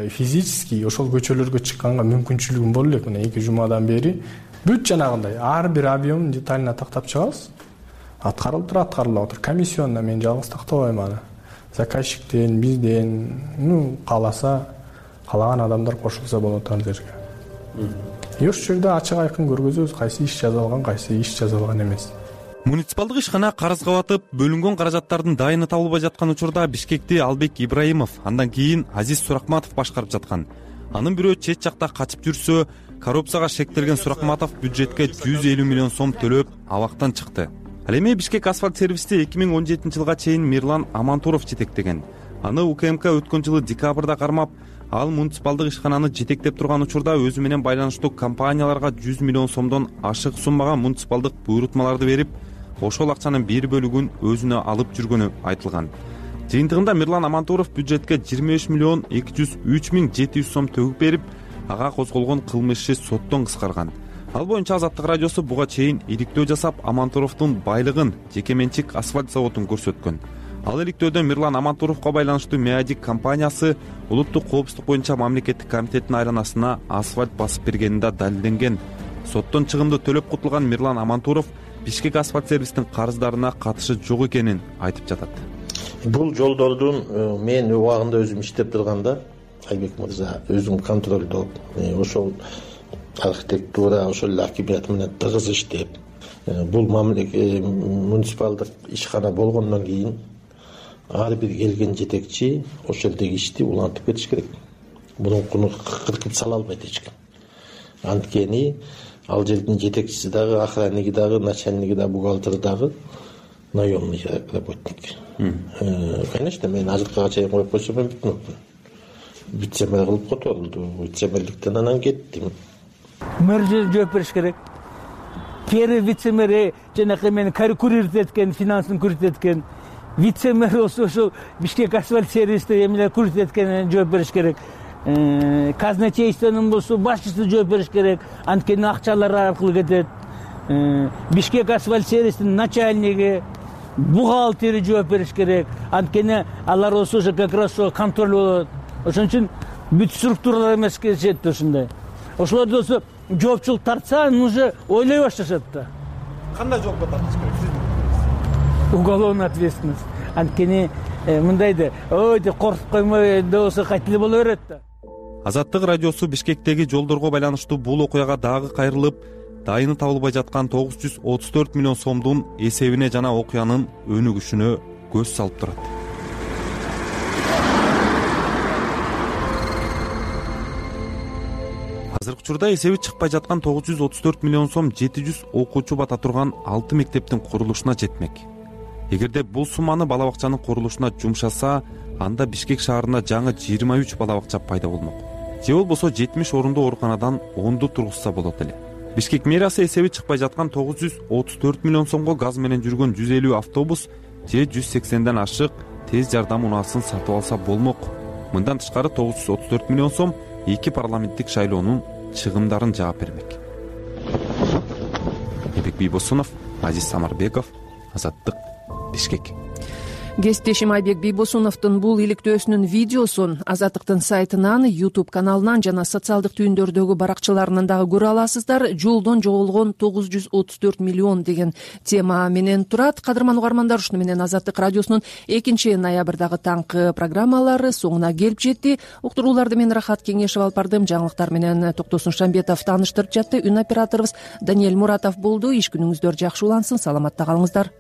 физически ошол көчөлөргө чыкканга мүмкүнчүлүгүм боло элек. Мына 2 жумадан бери бүт жанагындай ар бир объемун деталына тактап чыгабыз. Аткарылып атыр. Комиссионна мен жалгыз тактабайм аны. Заказчиктен, бизден, кааласа, каалаган адамдар кошулса болот ал жерге. Ошол жерде ачык айкын көргөзөбүз, кайсы иш жазылган, кайсы иш жазылган эмес. Муниципалдык ишкана карызга батып, бөлүнгөн каражаттардын дайыны табылбай жаткан учурда Бишкекти Албек Ибраимов, андан кийин Азиз Суракматов башкарып жаткан. Анын бирөө чет жакта качып жүрсө, коррупцияга шектелген Суракматов бюджетке 150 миллион сом төлөп, абактан чыкты. Ал эми Бишкек асфальт сервисти 2017 жылга чейин Мирлан Амантуров жетектеген. Аны УКМК өткөн жылы декабрда кармап, ал муниципалдык ишкананы жетектеп турган учурда өзү менен байланыштуу компанияларга 100 миллион сомдон ашык суммага муниципалдык буйрутмаларды берип, ошол акчанын бир бөлүгүн өзүнө алып жүргөнү айтылган. Жыйынтыгында Мирлан Амантуров бюджетке 25 миллион 203 миң 700 сом төгүп берип, ага козголгон кылмыш иши соттон кыскарган. Ал боюнча Азаттык радиосу буга чейин иликтөө жасап, Амантуровдун байлыгын жеке менчик асфальт заводун көрсөткөн. Ал иликтөөдө Мирлан Амантуровго байланыштуу Меадик компаниясы улуттук коопсуздук боюнча мамлекеттик комитеттин айланасына асфальт басып бергенинде далилденген. Соттон чыгымды төлөп кутулган Мирлан Амантуров Бишкек асфальт сервистин карыздарына катышы жок экенин айтып жатат. Бул жолдордун мен убагында өзүм иштеп турганда, Айбек мырза өзүм контролдоп, ошол архитектура, ошол эле акимият менен тыгыз иштеп, бул муниципалдык ишкана болгондон кийин ар бир келген жетекчи ошол жердеги ишти улантып кетиш керек. Мунун кыркып сала албайт эч ким. Анткени ал жердин жетекчиси дагы, охранниги дагы, начальниги дагы, бухгалтери дагы наемный работник. Конечно, мен азыркыга чейин коюп койсом мен бүтмөкмүн. Вице-мэр кылып которулду. Вице-мэрликтен анан кеттим. Мэр жооп бериш керек. Первый вице-мэр жанакы мени курировать эткен, финансын курировать эткен. Вице-мэр ошол Бишкек асфальт сервисти эмелер курировать эткенин жооп бериш керек. казначействонун болсо башчысы жооп бериш керек, анткени акчалар аркылуу кетет. Бишкек асфальт сервисинин начальниги, бухгалтери жооп бериш керек, анткени алар болсо уже как раз контроль болот. Ошон үчүн бүт структуралар эмес кетишет ушундай. Ошолорду болсо жоопчулук тартса, анан уже ойлой башташат да. Кандай жоопко тартыш керек сиздин? Уголовная ответственность. Анткени мындайды, ой деп коркуп коймой да болсо кайтып эле боло берет да. Азаттык радиосу Бишкектеги жолдорго байланыштуу бул окуяга дагы кайрылып, дайыны табылбай жаткан 934 миллион сомдун эсебине жана окуянын өнүгүшүнө көз салып турат. Азыркы учурда эсеби чыкпай жаткан 934 миллион сом 700 окуучу бата турган 6 мектептин курулушуна жетмек. Эгерде бул сумманы бала бакчанын курулушуна жумшаса, анда Бишкек шаарында жаңы 23 бала бакча пайда болмок. Же болбосо 70 орундуу ооруканадан 10ду тургузса болот эле. Бишкек мэриясы эсеби чыкпай жаткан 934 миллион сомго газ менен жүргөн 150 автобус же 180ден ашык тез жардам унаасын сатып алса болмок. Мындан тышкары 934 миллион сом 2 парламенттик шайлоонун чыгымдарын жаап бермек. Эбек Бийбосунов, Азиз Самарбеков, Азаттык, Бишкек. Кесиптешим Айбек Бийбосуновдун бул иликтөөсүнүн видеосун Азаттыктын сайтынан, YouTube каналынан жана социалдык түйүндөрдөгү баракчаларынан дагы көрө аласыздар. Жолдон жоголгон 934 миллион деген тема менен турат. Кадырман угармандар, ушуну менен Азаттык радиосунун 2-ноябрдагы таңкы программалары соңуна келип жетти. Уктурууларды мен Рахат Кеңешев алып бардым. Жаңылыктар менен Токтосун Шамбетов тааныштырып жатты. Үн операторубуз Даниэль Муратов болду. Иш күнүңүздөр жакшы улансын. Саламатта калыңыздар.